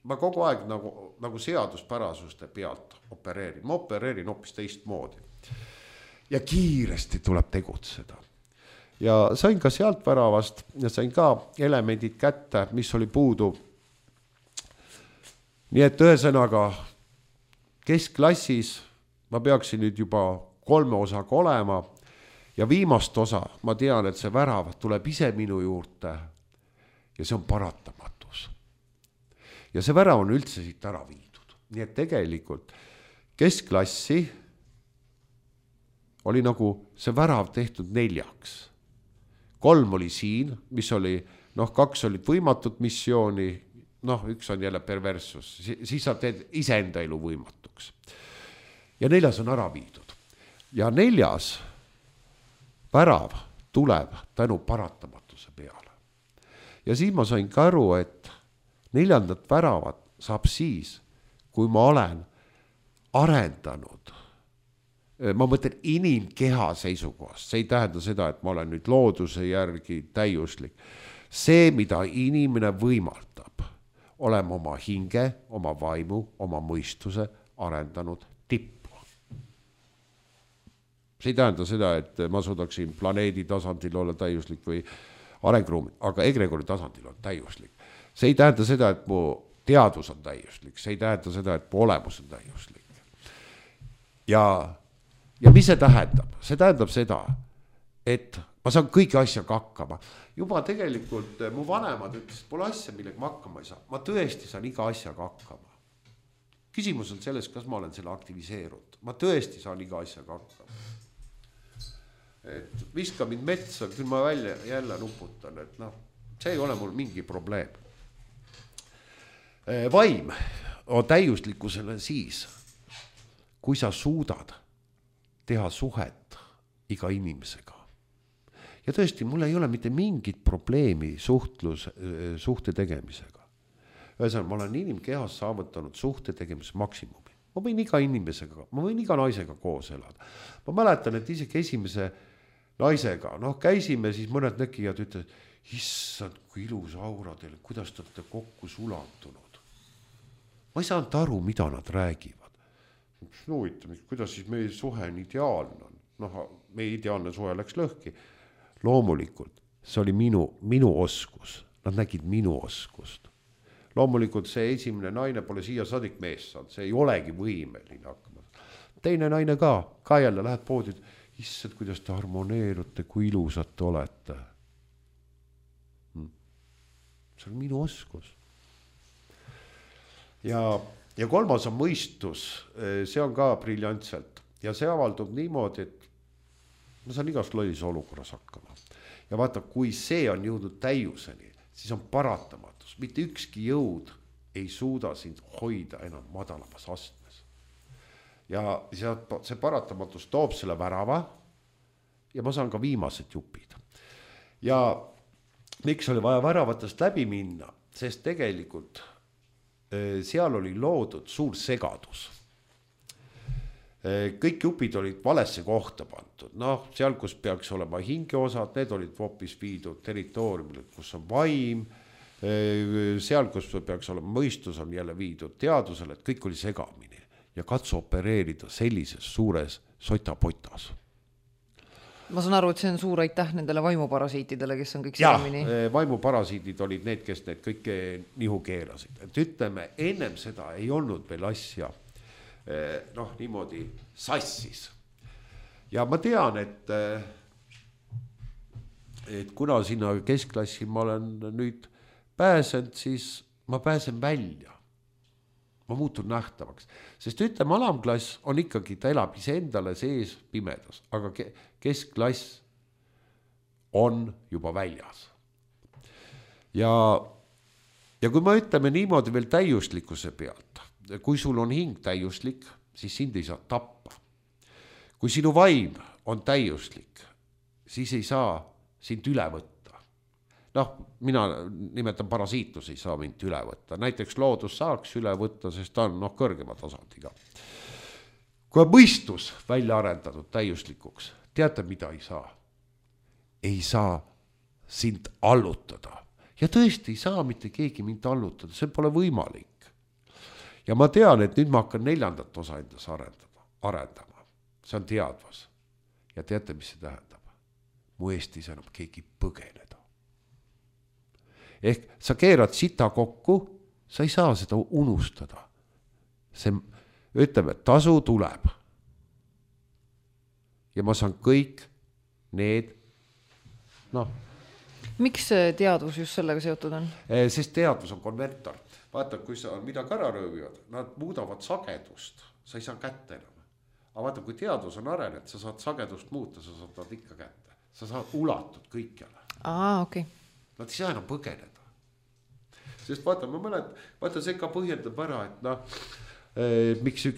ma kogu aeg nagu seaduspärasuste pealt opereerin. Ma opereerin hoopis teistmoodi. Ja kiiresti tuleb tegutseda. Ja sain ka sealt väravast ja sain ka elemendid kätte, mis oli puudu. Nii et ühesõnaga keskklassis ma peaksin nüüd juba 3 osaga olema ja viimast osa ma tean, et see värav tuleb ise minu juurde ja see on paratamatus. Ja see värav on üldse siit ära viidud. Nii et tegelikult keskklassi oli nagu see värav tehtud 4. 3 oli siin, mis oli, 2 olid võimatut missiooni, 1 on jälle perversus, siis sa teed iseenda elu võimatuks. Ja 4 on ära viidud. Ja 4 värav tuleb tänu paratamatuse peale. Ja siis ma sain ka aru, et 4. väravat saab siis, kui ma olen arendanud, ma mõtlen inimkeha seisukohast, see ei tähenda seda, et ma olen nüüd looduse järgi täiuslik. See, mida inimene võimaldab, olema oma hinge, oma vaimu, oma mõistuse arendanud tippu. See ei tähenda seda, et ma suudaksin planeedi tasandil olla täiuslik või arengruumi, aga egregori tasandil on täiuslik. See ei tähenda seda, et mu teadus on täiuslik, see ei tähenda seda, et mu olemus on täiuslik. Ja mis see tähendab? See tähendab seda, et ma saan kõigi asjaga hakkama. Juba tegelikult mu vanemad ütles, et pole asja, millega ma hakkama ei saa. Ma tõesti saan iga asjaga hakkama. Küsimus on selles, kas ma olen selle aktiviseerunud. Ma tõesti saan iga asjaga hakkama. Et viska mind metsa, küll ma välja jälle nuputan, et see ei ole mul mingi probleem. Vaim on täiuslikkusele siis, kui sa suudad teha suhet iga inimesega. Ja tõesti, mul ei ole mitte mingit probleemi suhte tegemisega. Ühesõnaga, ma olen inimkehas saavutanud suhte tegemise maksimumi. Ma võin iga inimesega, ma võin iga naisega koos elada. Ma mäletan, et isegi esimese naisega, käisime, siis mõned näkijad ütlesid, issand, kui ilus aura teile, kuidas te olete kokku sulatunud. Ma ei saanud aru, mida nad räägivad. Kuidas siis meie suhe on ideaalne? Meie ideaalne suhe läks lõhki. Loomulikult, see oli minu oskus. Nad nägid minu oskust. Loomulikult see esimene naine pole siia sadik mees saanud, see ei olegi võimeline hakkama. Teine naine ka jälle lähed poodi, issand, kuidas te harmoneerute, kui ilusad te olete. See on minu oskus. Ja 3 on mõistus, see on ka briljantselt. Ja see avaldub niimoodi, et ma saan igas lollis olukorras hakkama. Ja vaata, kui see on jõudnud täiuseni, siis on paratamatus. Mitte ükski jõud ei suuda sind hoida enam madalamas astmes. Ja see paratamatus toob selle värava ja ma saan ka viimased jupid. Ja miks oli vaja väravatest läbi minna? Sest tegelikult seal oli loodud suur segadus. Kõik jupid olid valesse kohta pandud. Seal, kus peaks olema hingeosad, need olid hoopis viidud territooriumile, kus on vaim. Seal, kus peaks olema mõistus, on jälle viidud teadusele, et kõik oli segamini. Ja katsu opereerida sellises suures sotapotas. Ma saan aru, et see on suur aitäh nendele vaimuparasiitidele, kes on kõik segamini. Vaimuparasiidid olid need, kes need kõike nihu keerasid. Et ütleme, ennem seda ei olnud veel asja niimoodi sassis. Ja ma tean, et kuna sinna keskklassi ma olen nüüd pääsend, siis ma pääsen välja. Ma muutun nähtavaks. Sest ütleme, alamklass on ikkagi, ta elab iseendale sees pimedas, aga keskklass on juba väljas. Ja kui me ütleme niimoodi veel täiuslikkuse pealt, kui sul on hing täiuslik, siis sind ei saa tappa. Kui sinu vaim on täiuslik, siis ei saa sind üle võtta. Mina nimetan parasiitus ei saa mind üle võtta. Näiteks loodus saaks üle võtta, sest ta on kõrgema tasandiga. Kui on mõistus välja arendatud täiuslikuks, teate, mida ei saa? Ei saa sind allutada. Ja tõesti ei saa mitte keegi mind allutada, see pole võimalik. Ja ma tean, et nüüd ma hakkan 4. osa endas arendama. See on teadvus. Ja teate, mis see tähendab? Mu eest ei saa enam keegi põgeneda. Ehk sa keerad sita kokku, sa ei saa seda unustada. See, ütleme, tasu tuleb. Ja ma saan kõik need, Miks see teadvus just sellega seotud on? Sest teadvus on konvertor. Vaata, kui sa midagi ära röövivad, nad muudavad sagedust, sa ei saa kätte enam. Aga vaata, kui teadvus on arenenud, sa saad sagedust muuta, sa saad ikka kätte. Sa saad ulatud kõikjale. Okay. Nad ei saa enam põgeneda. Sest vaata, vaata see ka põhjendab ära, et miks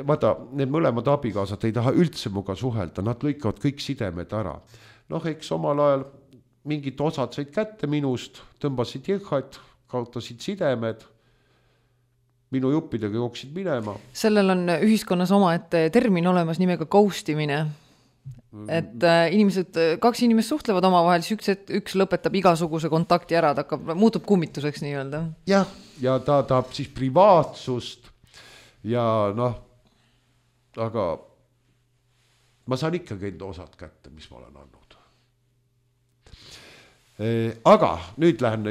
vaata, need mõlemad abikaasad ei taha üldse muga suhelda, nad lõikavad kõik sidemed ära. Eks omal ajal mingid osad said kätte minust, tõmbasid jõhad, kaotasid sidemed, minu juppidega jooksid minema. Sellel on ühiskonnas omaette termin olemas nimega ghostimine. Et kaks inimest suhtlevad omavahel, siis üks lõpetab igasuguse kontakti ära, ta muutub kummituseks nii-öelda. Jah, ja ta tahab siis privaatsust ja aga ma saan ikkagi enda osad kätte, mis ma olen andnud. Aga nüüd lähen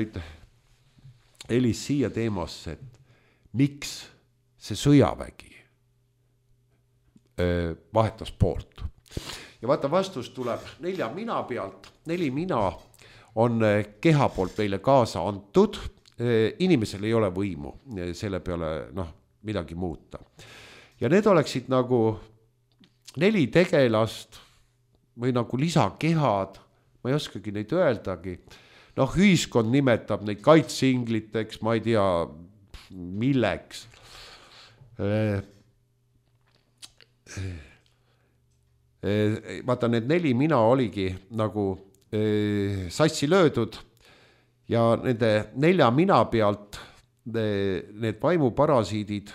Elis siia teemasse, et miks see sõjavägi vahetas poolt. Ja vaata, vastus tuleb 4 mina pealt. 4 mina on keha poolt meile kaasa antud. Inimesel ei ole võimu selle peale midagi muuta. Ja need oleksid nagu 4 tegelast või nagu lisakehad, ma ei oskagi neid öeldagi. Ühiskond nimetab neid kaitseingliteks, ma ei tea milleks. Vaata, need 4 mina oligi nagu sassi löödud ja nende 4 mina pealt need vaimuparasiidid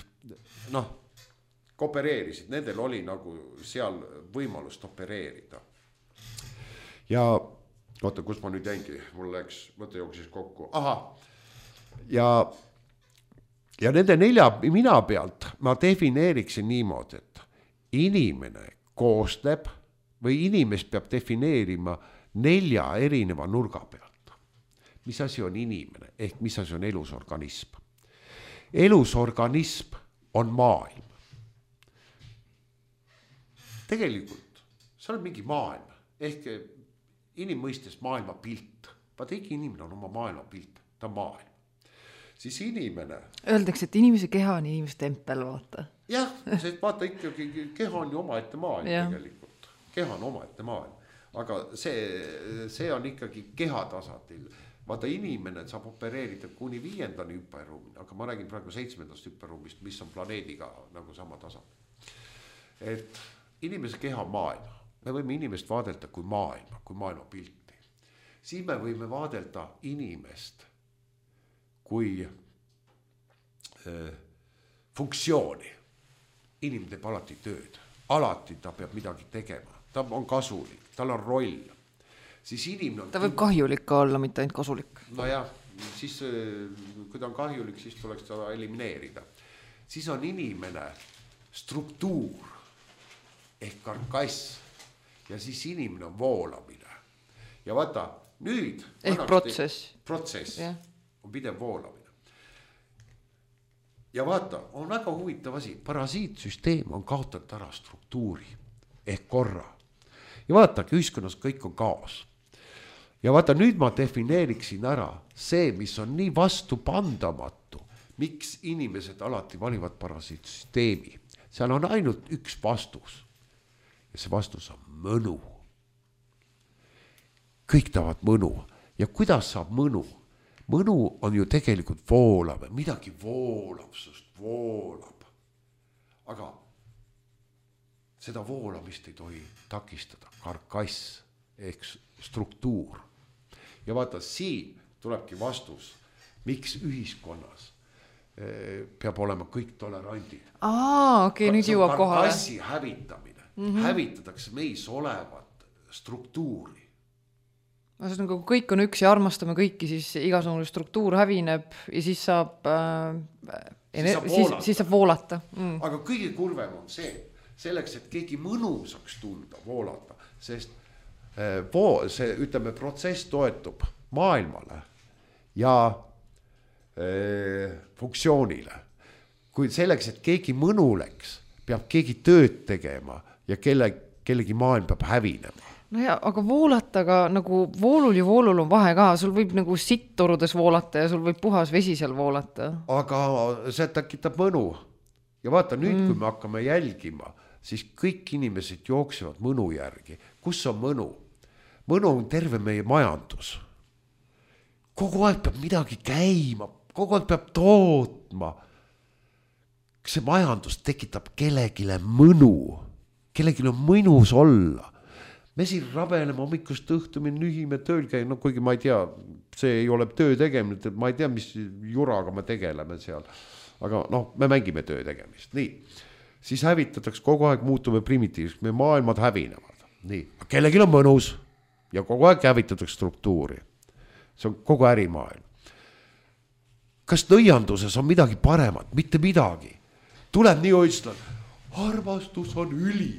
opereerisid, nendel oli nagu seal võimalust opereerida. Ja oota, kus ma nüüd jäingi, mul läks mõte jooksis kokku. Ja nende 4 mina pealt ma defineeriksin niimoodi, et inimene koosneb või inimest peab defineerima 4 erineva nurga pealt. Mis asi on inimene ehk mis asi on elusorganism? Elusorganism on maailm. Tegelikult see on mingi maailm ehk inimmõistes maailma pilt. Vaata, ikka inimene on oma maailma pilt, ta on maailm. Siis inimene... Öeldakse, et inimese keha on inimese tempel, vaata. Jah, sest vaata ikkagi, keha on ju omaette maailm tegelikult. Keha on omaette maailm. Aga see on ikkagi keha tasandil. Vaata, inimene saab opereerida kuni 5. hüperruumi, aga ma räägin praegu 7. hüperruumist, mis on planeediga nagu sama tasand. Et inimese keha on maailm. Me võime inimest vaadelda kui maailma pilti. Siis me võime vaadelda inimest kui funktsiooni. Inimene teeb alati tööd. Alati ta peab midagi tegema. Ta on kasulik, tal on roll. Siis inimene on... Ta võib kahjulik ka olla, mitte ainult kasulik. Siis kui ta on kahjulik, siis tuleks ta elimineerida. Siis on inimene struktuur ehk karkass. Ja siis inimene on voolamine. Ja vaata, nüüd... Ehk protsess. Protsess on pidev voolamine. Ja vaata, on väga huvitav asi. Parasiitsüsteem on kaotanud ära struktuuri ehk korra. Ja vaata, ühiskonnas kõik on kaos. Ja vaata, nüüd ma defineeriksin ära see, mis on nii vastupandamatu. Miks inimesed alati valivad parasiitsüsteemi? Seal on ainult üks vastus. Ja see vastus on mõnu. Kõik tahavad mõnu. Ja kuidas saab mõnu? Mõnu on ju tegelikult voolav. Midagi voolavsust voolab. Aga seda voolamist ei tohi takistada. Karkass ehk struktuur. Ja vaata, siin tulebki vastus, miks ühiskonnas peab olema kõik tolerandid. Okei, nüüd jõuab kohale. Karkassi hävitamine. Hävitatakse meis olevat struktuuri. Nagu kõik on üks ja armastame kõiki, siis igasugune struktuur hävineb ja siis saab voolata. Aga kõige kurvem on see, selleks, et keegi mõnu saaks tunda, voolata, sest see, ütleme, protsess toetub maailmale ja funktsioonile. Kui selleks, et keegi mõnu läks, peab keegi tööd tegema ja kellegi maailm peab hävinema. No ja, aga voolataga nagu voolul ja voolul on vahe ka, sul võib nagu sitttorudes voolata ja sul võib puhas vesi seal voolata. Aga see tekitab mõnu. Ja vaata nüüd, kui me hakkame jälgima, siis kõik inimesed jooksevad mõnu järgi. Kus on mõnu? Mõnu on terve meie majandus. Kogu aeg peab midagi käima, kogu aeg peab tootma. See majandus tekitab kellegile mõnu. Kellegile on mõnus olla. Me siin rabeleme hommikust õhtumi, nühime tööl käin, no kuigi ma ei tea, see ei ole töö tegemine, ma ei tea, mis juraga me tegeleme seal. Aga me mängime töö tegemist. Nii, siis hävitatakse kogu aeg, muutume primitiivseks, me maailmad hävinevad. Nii, kellegil on mõnus ja kogu aeg hävitatakse struktuuri. See on kogu ärimaailm. Kas nõianduses on midagi paremat? Mitte midagi. Tuleb nii oitslan, armastus on üli.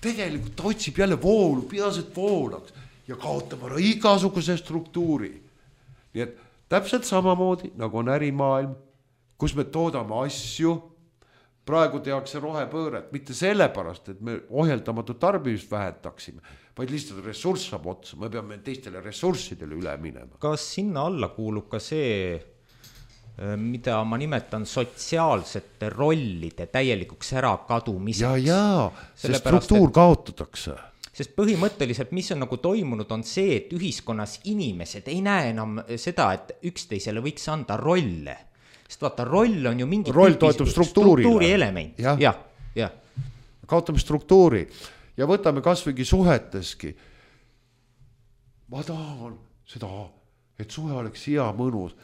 Tegelikult ta otsib jälle voolu, peaselt voolaks ja kaotab ära igasuguse struktuuri. Nii et täpselt samamoodi, nagu on ärimaailm, kus me toodame asju, praegu tehakse rohepööret, mitte sellepärast, et me ohjeldamatu tarbimist vähendaksime, vaid lihtsalt ressurss saab otsa, me peame teistele ressurssidele üle minema. Kas sinna alla kuulub ka see, mida ma nimetan sotsiaalsete rollide täielikuks ära kadumiseks? Ja, see struktuur kaotatakse. Sest põhimõtteliselt, mis on nagu toimunud, on see, et ühiskonnas inimesed ei näe enam seda, et üksteisele võiks anda rolle. Sest vaata, roll on ju mingi struktuuri element. Ja. Kaotame struktuuri ja võtame kasvõigi suheteski. Ma tahan seda, et suhe oleks hea mõnus.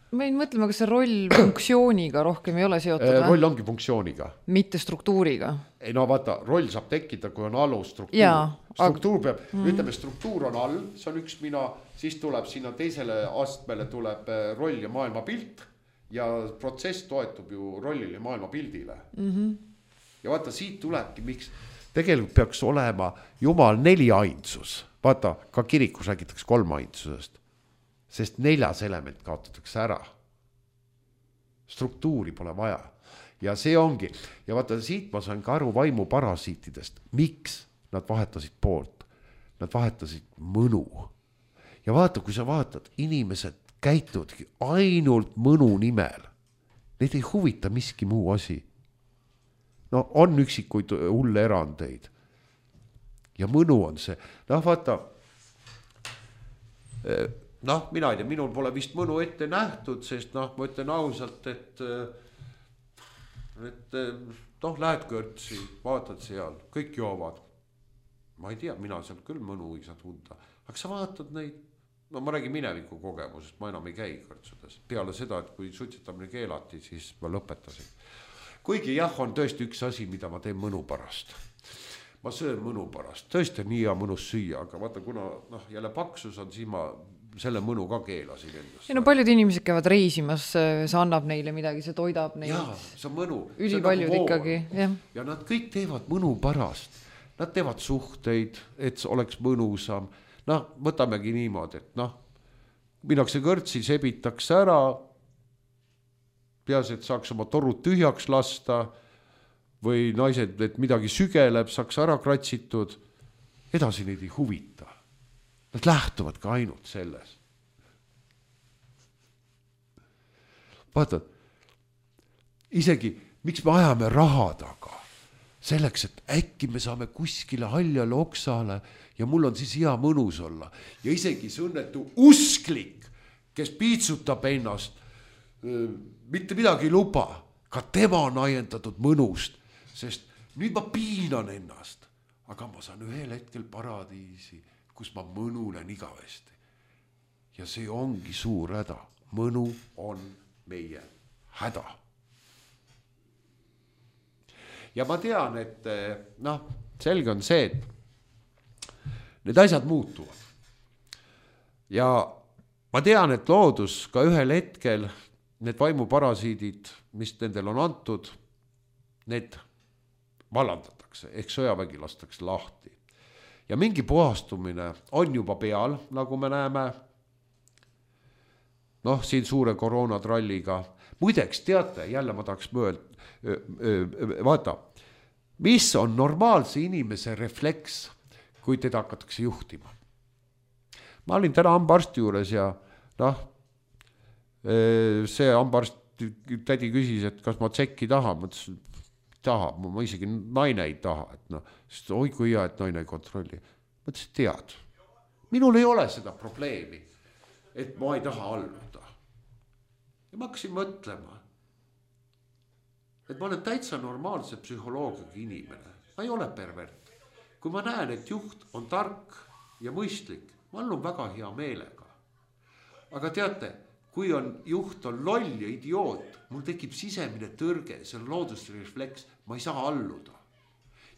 Me ei mõtleme, kas see roll funktsiooniga rohkem ei ole seotud? Roll ongi funktsiooniga. Mitte struktuuriga. Ei vaata, roll saab tekkida, kui on alusstruktuur. Struktuur peab, ütleme, struktuur on all, see on üks mina, siis tuleb sinna teisele astmele tuleb roll ja maailmapilt ja protsess toetub ju rollile ja maailmapildile. Ja vaata, siit tulebki, miks tegelikult peaks olema Jumal 4 ainsus. Vaata, ka kirikus räägitakse 3 ainsusest. Sest 4 element kaotatakse ära. Struktuuri pole vaja. Ja see ongi. Ja vaata, siit ma sain ka aru vaimu parasiitidest. Miks nad vahetasid poolt? Nad vahetasid mõnu. Ja vaata, kui sa vaatad, inimesed käituvadki ainult mõnu nimel. Neid ei huvita miski muu asi. On üksikuid hulle erandeid. Ja mõnu on see. Vaata, mina ei tea, minul pole vist mõnu ette nähtud, sest ma ütlen ausalt, et lähed kõrtsi, vaatad seal, kõik joovad. Ma ei tea, mina seal küll mõnu ei saa tunda. Aga sa vaatad neid, ma räägin mineviku kogemusest, ma enam ei käi kõrtsudes. Peale seda, et kui suitsetamine keelati, siis ma lõpetasin. Kuigi on tõesti üks asi, mida ma teen mõnu pärast. Ma söön mõnu pärast, tõesti on nii hea mõnus süüa, aga vaata, kuna jälle paksus on, siis ma selle mõnu ka keelasin endast. Paljud inimesed käivad reisimas, see annab neile midagi, see toidab neid. Jaa, see on mõnu. Ülipaljud ikkagi, jah. Ja nad kõik teevad mõnu pärast. Nad teevad suhteid, et oleks mõnusam. Võtamegi niimoodi, et minnakse kõrtsi, sebitakse ära, peas, et saaks oma torud tühjaks lasta, või naised, et midagi sügeleb, saaks ära kratsitud, edasi neid ei huvita. Nad lähtuvad ka ainult selles. Vaata, isegi, miks me ajame raha taga? Selleks, et äkki me saame kuskile haljale oksale ja mul on siis hea mõnus olla. Ja isegi see õnnetu usklik, kes piitsutab ennast, mitte midagi ei luba, ka tema on ajendatud mõnust, sest nüüd ma piinan ennast, aga ma saan ühel hetkel paradiisi, kus ma mõnulen igavesti. Ja see ongi suur häda. Mõnu on meie häda. Ja ma tean, et selge on see, et need asjad muutuvad. ja ma tean, et loodus ka ühel hetkel, need vaimuparasiidid, mis nendel on antud, need vallandatakse, ehk sõjavägi lastakse lahti. Ja mingi puhastumine on juba peal, nagu me näeme, noh, siin suure koroonatralliga. Muideks, teate, jälle ma tahaks vaata, mis on normaalse inimese refleks, kui teda hakatakse juhtima. Ma olin täna hambaarsti juures ja noh, see hambaarst tädi küsis, et kas ma tsekki tahan, ma ütlesin, taha, ma isegi naine ei taha, et noh, sest oi kui hea, et naine ei kontrolli. Ma ütlesin, tead, minul ei ole seda probleemi, et ma ei taha alluda. Ja ma hakkasin mõtlema, et ma olen täitsa normaalse psühholoogiga inimene, ma ei ole pervert. Kui ma näen, et juht on tark ja mõistlik, ma allun väga hea meelega. Aga teate, kui juht on loll ja idioot, mul tekib sisemine tõrge, see on loodusrefleks, ma ei saa alluda.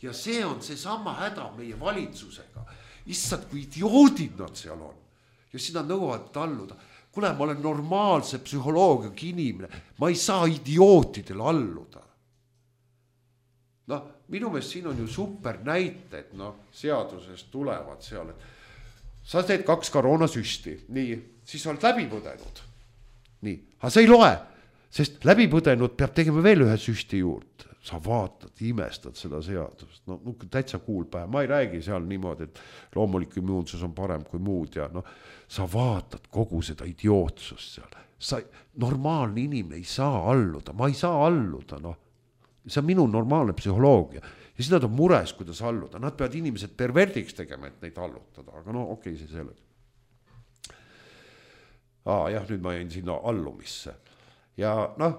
Ja see on see sama häda meie valitsusega. Issad, kui idioodid nad seal on. Ja siis nad nõuavad alluda. Kuule, ma olen normaalse psühholoogiaga inimene, ma ei saa idiootidele alluda. Noh, minu meelest siin on ju super näited, noh, seadusest tulevad seal, et sa teed 2 koroonasüsti, nii, siis oled läbi põdenud. Nii, aga sa ei loe, sest läbi põdenud peab tegema veel ühe süsti juurde. Sa vaatad, imestad seda seadust. No täitsa kuulpäev, ma ei räägi seal niimoodi, et loomulik immuunsus on parem kui muud ja noh, sa vaatad kogu seda idiootsust seal. Normaalne inimene ei saa alluda, ma ei saa alluda, noh. See on minu normaalne psühholoogia. Ja siis nad on mures, kuidas alluda. Nad peavad inimesed perverdiks tegema, et neid allutada, aga no okei, see selle. Jah, nüüd ma jäin sinna allumisse. Ja noh,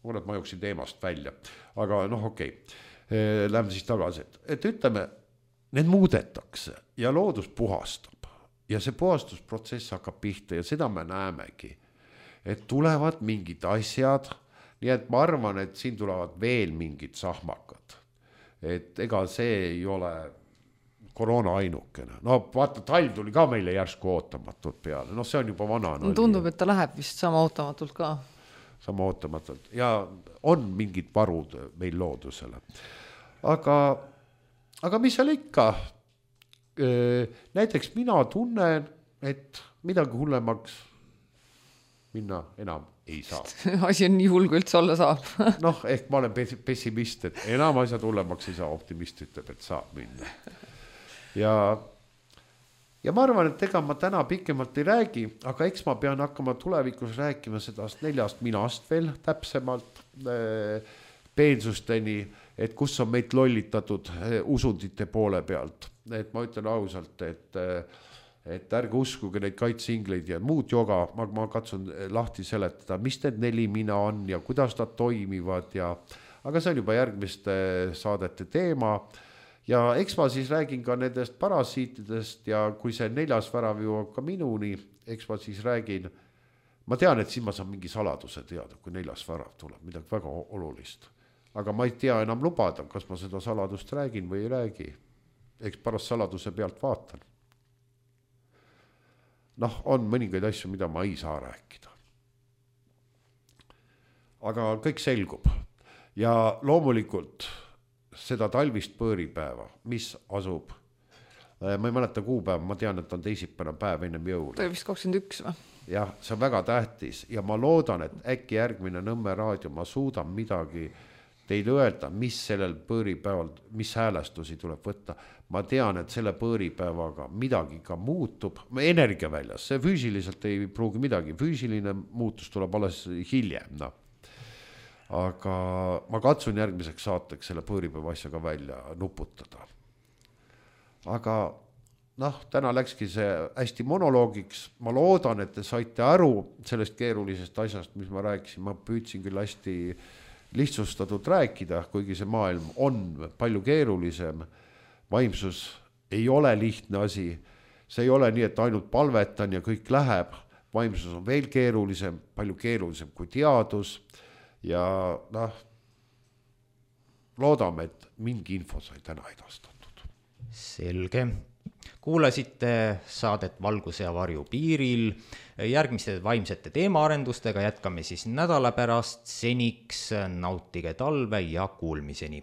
ma jooksin teemast välja, aga noh, okei. Lähme siis tagasi, et ütleme, need muudetakse ja loodus puhastab ja see puhastusprotsess hakkab pihta ja seda me näemegi, et tulevad mingid asjad, nii et ma arvan, et siin tulevad veel mingid sahmakad, et ega see ei ole koroona ainukene. No vaata, talv tuli ka meile järsku ootamatult peale, noh, see on juba vana. No, tundub, et ta läheb vist sama ootamatult ka. Sama ootamatult ja on mingid varud meil loodusele. Aga mis seal ikka? Näiteks mina tunnen, et midagi hullemaks minna enam ei saa. Asi on nii hull, kui üldse olla saab. Noh, ehk ma olen pessimist, et enam asjad hullemaks ei saa, optimist ütleb, et saab minna. Ja ma arvan, et ega ma täna pikemalt ei räägi, aga eks ma pean hakkama tulevikus rääkima sedast 4 minast veel täpsemalt peensusteni, et kus on meid lollitatud usundite poole pealt. Et ma ütlen ausalt, et ärge uskuge neid kaitsingleid ja muud joga, ma katsun lahti seletada, mis need 4 mina on ja kuidas nad toimivad aga see on juba järgmiste saadete teema. Ja eks ma siis räägin ka nendest parasiitidest ja kui see 4. värav jõuab ka minuni, eks ma siis räägin, ma tean, et siin ma saan mingi saladuse teada, kui 4. värav tuleb, midagi väga olulist. Aga ma ei tea enam lubada, kas ma seda saladust räägin või ei räägi. Eks pärast saladuse pealt vaatan. Noh, on mõningaid asju, mida ma ei saa rääkida. Aga kõik selgub. Ja loomulikult seda talvist põõripäeva, mis asub, ma ei mäleta kuupäeva, ma tean, et on teisipäevane päev ennem jõule. Ta oli vist 21 või? Jah, see on väga tähtis ja ma loodan, et äkki järgmine Nõmme raadio, ma suudan midagi teile öelda, mis sellel põõripäeval, mis häälestusi tuleb võtta. Ma tean, et selle põõripäevaga midagi ka muutub, energia väljas, see füüsiliselt ei pruugi midagi, füüsiline muutus tuleb alles hiljem, noh. Aga ma katsun järgmiseks saateks selle põõripäeva asjaga välja nuputada. Aga noh, täna läkski see hästi monoloogiks. Ma loodan, et te saite aru sellest keerulisest asjast, mis ma rääkisin. Ma püüdsin küll hästi lihtsustatud rääkida, kuigi see maailm on palju keerulisem. Vaimsus ei ole lihtne asi. See ei ole nii, et ainult palvetan ja kõik läheb. Vaimsus on veel keerulisem, palju keerulisem kui teadus. Ja noh, loodame, et mingi info sai täna edastatud. Selge. kuulasite saadet Valguse ja varju piiril. Järgmiste vaimsete teemaarendustega jätkame siis nädala pärast. Seniks nautige talve ja kuulmiseni.